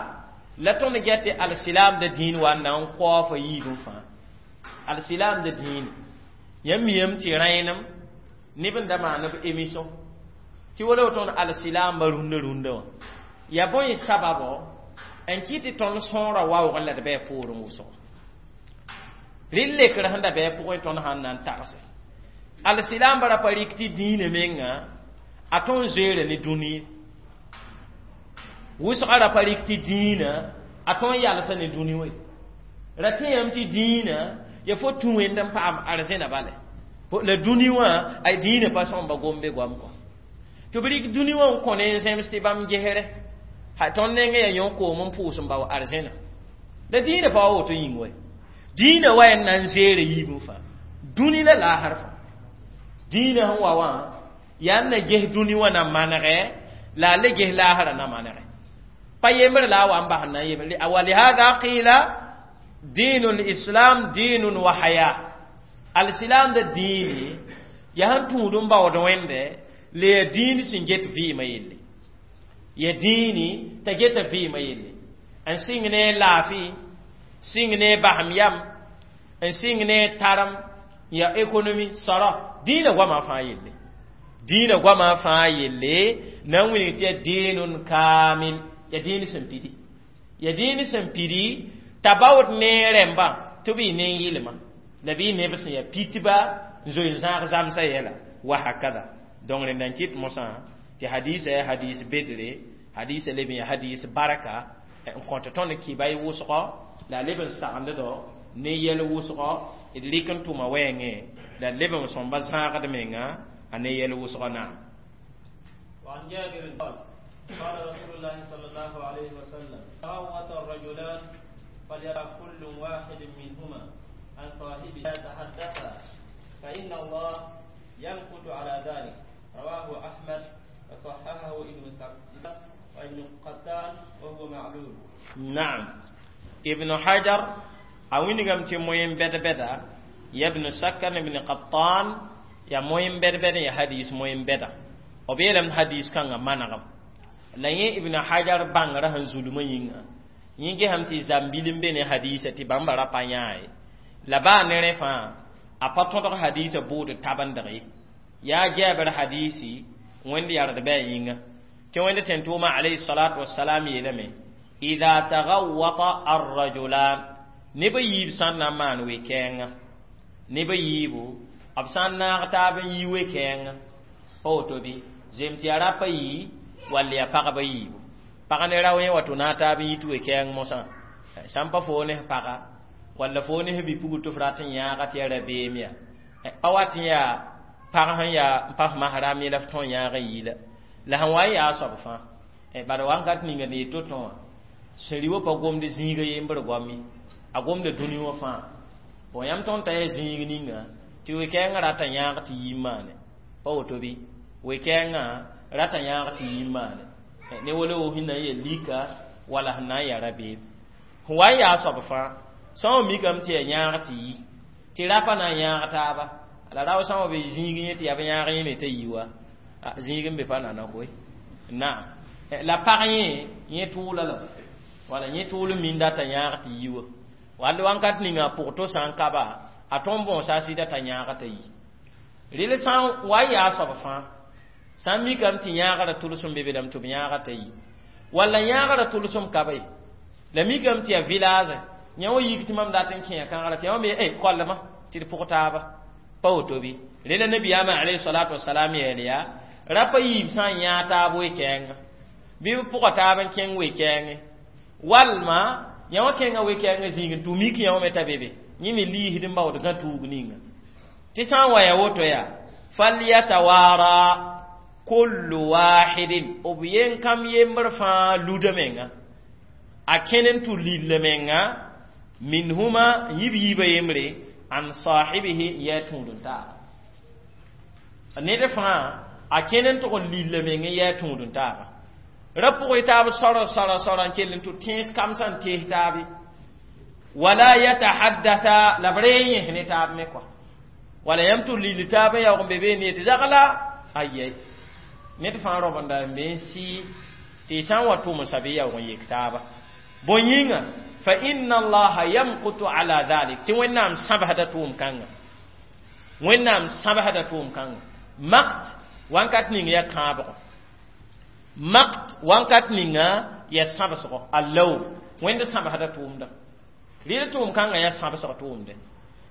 la tõnd get tɩ alsilaamda dĩin wa n na n kaoofa yiibẽ fãa alsilaamda dĩine yãmb miyame tɩ rẽenem neb n da maan b émission tɩ wala woto alsilaamba rũndã rũndã wã ya bõe sababo n kɩ tɩ tõnd sõora waoogẽ la d bɩ poorẽ wʋsgo rɩl lekr sẽn da bɩ pʋgẽ tõnd sãn na n tagse alsilaamba ra pa rɩk tɩ dĩinã menga a tõnd zoeera ne dũni wʋsgã ra pa rɩk tɩ dĩinã a tõnd yalsa ne dũni we ra tẽyame tɩ dĩinã ya fo tũ wẽnd n paam arzẽna bale la dũni wã a dĩinã pa sõmba gombe goam kɔ tɩ b rɩk dũni wã n kõ ne n zẽms tɩ bãmb gesre ha tõnd nengẽ yaa yõ koom n pʋʋs n bao arzẽna la dĩinã pa wa woto yĩng wa dĩinã wa n na n zeera yiibẽ fãa dũni la laasr fãa dĩinã sẽn wa wã yaa n na ges dũni wã na manegɛ la a le ges laasrã na manegɛ pa yembr la a wa n bas n na n yembre walihada qila dinu lislam dinun wa haya Al-islam da dĩini yaa sẽn tũud n baood wẽnde la yaa dĩin sẽn get vɩɩmã yelle ya dĩini t'a geta vɩɩmã yelle n sɩng ne laafɩ sɩng ne basem yam n sɩng ne tarem ya économie sara dĩinã goamã fãa yelle dĩinã goamã fãa yelle na n wilg tɩ ya dĩinun kamil ya dĩin sẽn pidi ya dĩin sẽn pidi t'a baood ne rẽmbã tɩ b yɩ nen-yɩlma la bɩ neb sẽn ya pitba n zoe n zãag zãmsã yɛla wa hakada donc rẽnda n kɩt mosã tɩ hadisa yaa hadis bedre hadisa leb n ya hadis barka n kõt tõnd kɩba y wʋsgɔ la a leb n sagnddo ne yɛl wʋsgɔ d rɩk n tʋma wɛɛngẽ la d leb n sõmba zãagd menga a ne yɛl wʋsgɔ naam وعن جابر قال قال رسول الله صلى الله عليه وسلم تغوط الرجلان فليرى كل واحد منهما عن صاحبه يتحدثا فإن الله يمقت على ذلك رواه أحمد وصححه ابن سكن وابن قتان وهو معلول نعم ابن حجر a wilgame tɩ moyen bɛd-bɛda ya ibn sakan ibn qattan ya moyen bɛd-bɛd ya hadis moyen bɛda b yeelame hadis kãngã manegem la yẽ ibn hajar bãngrã sẽn zulmã yĩnga yẽ gesame tɩ zãmbil n be ne hadisa tɩ bãmba ra pa yãa ye la baa ne rẽ fãa a pa tõdg hadisa bʋʋd tabendg ye yaa jɛɛbr hadisi wẽnd yard bɩ a yĩnga tɩ wẽnd tẽn-tʋʋmã alayhi salatu wasalam yeelame ida tagawata arrajulan neb a yiib sã n na n maan we-kɛɛngã neb a yiibu b sã n naag taab n yi we-kɛɛngã pa woto bɩ zem tɩ yaa rapa yii wall yaa pagba yiibu pag ne rao yẽ wa tɩ naag taab n yit we-kɛɛng mosã sã n pa foo ne paga walla foo ne bi-pugl tɩ f rat n yãaga tɩ yaa rabeem yaa pa wat n yaa pag sẽn yaa n pa f masram ye la f tõe n yãag n yi la la sẽn wa n yaa soab fãa bad wãnkat ninga ne yet to-tõ wã sẽn wã pa gomd zĩiga yembr goam ye a gomda dũni wã fãa bon yãmb tõnd t'a yaa zĩig ninga tɩ we-kɛɛngã rata yãag tɩ yi n maane pa woto bɩ we-kɛɛngã rata yãag tɩ yi n maane ne wala wo sẽn na n yaa lika wala sẽn na n yaa rabeem sẽn wa n yaa soab fãa sã n mikame tɩ yaa yãag tɩ yi tɩ rapa na n yãag taaba la rao sã n wa be zĩig yẽ tɩ yaa b yãag yẽ me t'a yi wa zĩig n be pa nana koe naam la pag yẽ yẽ tʋʋla la wala yẽ tʋʋl n minda t'a yãag tɩ yi wa wall wãnkat ninga a pʋg to sã n kaba a tõnd bõosa a sɩda t'a yãag t'a yi rel sã n wa n yaa soab fãa sã n mikame tɩ yãagrã tʋlsem be be lame tɩ b yãaga t'a yi walla yãagrã tʋlsem ka be la mikame tɩ yaa village yã wa yik tɩ mam dat n kẽa kãagrã tɩ yã wa me eh kollema tɩ d pʋg taaba pa woto bɩ rela nabiyaamã alayhi salatu wasalam yeel yaa rapa yiib sã n yãag taab we-kɛɛngã bɩ b pʋga taab n kẽng we-kɛɛngẽ walma yã wã kẽngã we-kɛɛngã zĩig n tʋ mik yã wã me t'a be be yẽ me liisd n baood gã tuug ninga tɩ sã n wa ya woto yaa falyatawara kullu wahidin b yen kam yembr fãa luda menga a kẽn n tʋ lilla menga minhuma yib yiibã yembre an sahibihi yaa tũud n taaba ned fãa a kẽn n tʋg n lilla meng n yaa tũud n taaba ra pʋgɩ taab sɔrɔ sɔrɔ sɔrɔ n kell n tʋ tẽes kamsã n tees taabe wala yatahaddatha la b ree yẽs ne taab me kɔa wala yãmb tʋ lill taab n yaoog n be beene tɩ zagla ayɛ ned fãa raobenda n be n sɩ tɩ y sã n wa tʋmsa bɩ yaoog n yek taaba bõe yĩnga fa inna allaha yamqutu ala dhalik tɩ wẽnnaam sãbsda tʋʋm kãnga wẽnnaam sãbsda tʋʋm kãnga makt wãnkat ning yaa kãabgɔ makt wãnkat ninga yaa sãbsgɔ allaw wẽnd sãbsda tʋʋmda rɩl tʋʋm kãngã yaa sãbsg tʋʋmde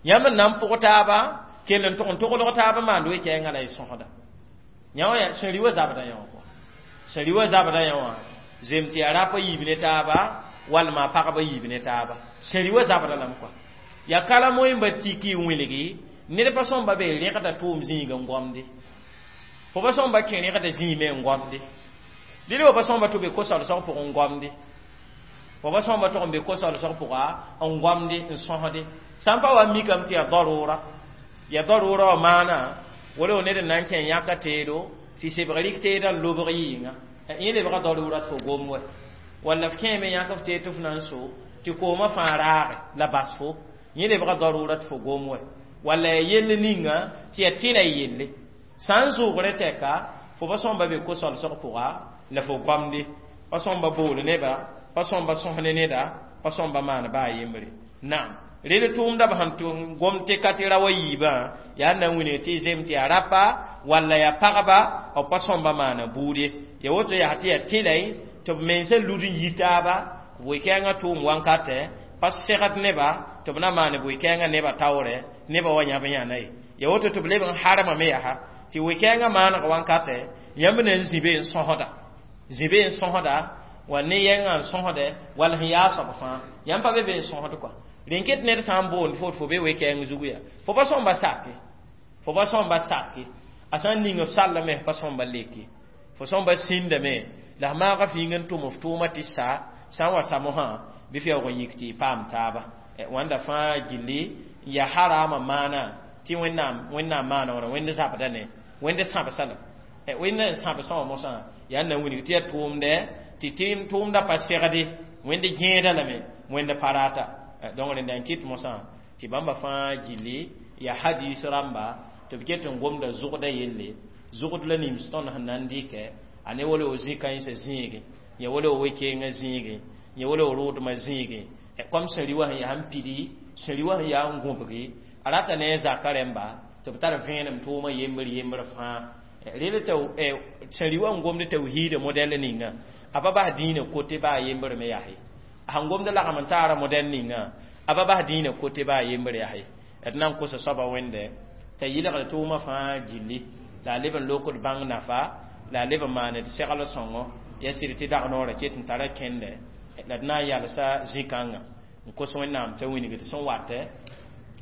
yãmb n na n pʋg taaba kell n tʋg n toglg taaba maand we-kɛɛngã la y sõsda yã wã sẽn rɩ wa zabda yã wã sẽn rɩ wa zabda yã wã zem tɩ yaa rapa yiib ne taaba walma pagba yiib ne taaba sẽn rɩ wa zabda lame kɔa yaa kala moẽmba tiki n wilgi ned pa sõmba be rẽgda tʋʋm zĩig n gomde fo pa sõmba kẽ rẽgda zĩime n gomde dɩl wa pa sõmba tɩ be ko-solsg pʋg n gomde fo pa sõmba tʋg n be ko-solsg pʋga n gomde n sõsde sã n pa wa mikame tɩ yaa darʋʋra yaa darʋʋra wã maana wala wo ned n na n kẽ yãka teedo tɩ sebg rɩk teedã n lobg yɩɩngã yẽ lebga darʋʋra tɩ fo gom wɛ walla f kẽeme yãk f teed tɩ f na n so tɩ koomã fãa raage la bas fo yẽ lebga darʋʋra tɩ fo gom wɛ Walla ya yell ninga tɩ ya tɩla yelle sã n zʋʋgre tɛka fo pa sõmba be ko-solsg pʋga la fo goamde pa sõmba bool neba pa sõmba sõs ne neda pa sõmba maan baa yembre naam rel tʋʋmda b sẽn tʋm gom tɩ ka tɩ ra wa yiibã yaa na n wilg tɩ y zem tɩ yaa rapa walla yaa pagba b pa sõmba maana buud ye ya woto yaa tɩ yaa tɩlay tɩ b mensã lud n yi taaba bʋɩ-kɛɛngã tʋʋm wankatɛ pa segd neba tɩ b na maane bʋɩ-kɛɛngã neba taoorɛ neba wa yãb yãna ye ya woto tɩ b leb n harmame yaa tɩ wɩ-kɛɛngã maaneg wankatɛ yãmb na n zĩ be n sõsda zĩ be n sõsda wa ne yɛngã n sõsdɛ wall sẽn yaa soab fãa yãmb pa be be n sõsd kɔa rẽn ket ned sã n boond fo fo be we-kɛɛng zugu yaa fo pa sõmba sake fo pa sõmba sake a sã n ning f sallame pa sõmba leke fo sõmba sĩndame la f maaga fĩing n tʋm f tʋʋma tɩ sa sã n wa samosã bɩ f yaoog n yik tɩ y paam taaba wãnda fãa gilli n yaa harama maana tɩ wẽnnaam wẽnnaam maana wã wẽnd zabda ne wẽnd sãbsa la wẽnd n sãbsã wã mosã yaa n na n wilg tɩ yaa tʋʋmdɛ tɩ tʋʋmda pa segde wẽnd gẽeda lame wẽnd pa rata donc rẽnda n kɩt mosã tɩ bãmba fãa gilli yaa hadis rãmba tɩ b ket n gomda zʋgda yelle zʋgd la nims tõnd sẽn na n dɩkɛ a ne wala o zĩ-kãensã zĩige ya wala o we-keenga zĩige ya wala o rʋʋdmã zĩige kom sẽn rɩ wã sẽn yaa n pidi sẽn rɩ wã sẽn yaa n gõbgi a rata ne a zaka rẽmba tɩ b tar vẽenem tʋʋmã yembr yembr fãa rel tɩ sẽn rɩ wã n gomd tawhiida modɛl ninga a pa bas dĩinã kote baa yembr me yaa ye sẽn gomd lagm n taara modɛl ninga a pa bas dĩinã kote baa yembr yaa ye d na n kosa soaba wẽnde t'a yɩlgd tʋʋmã fãa gilli la a leb n lokd bãng nafa la a leb n maand segl sõngo ya sɩd tɩ dag noorã ket n tara kẽndɛ la d na n yalsa zĩ-kãngã n kos wẽnnaam t'a wilgd sẽn watɛ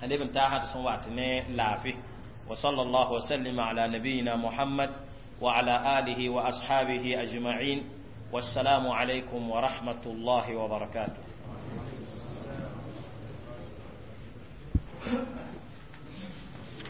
a leb n taasã tɩ sẽn wat ne laafɩ وصلى الله وسلم على نبينا محمد وعلى آله وأصحابه أجمعين والسلام عليكم ورحمة الله وبركاته.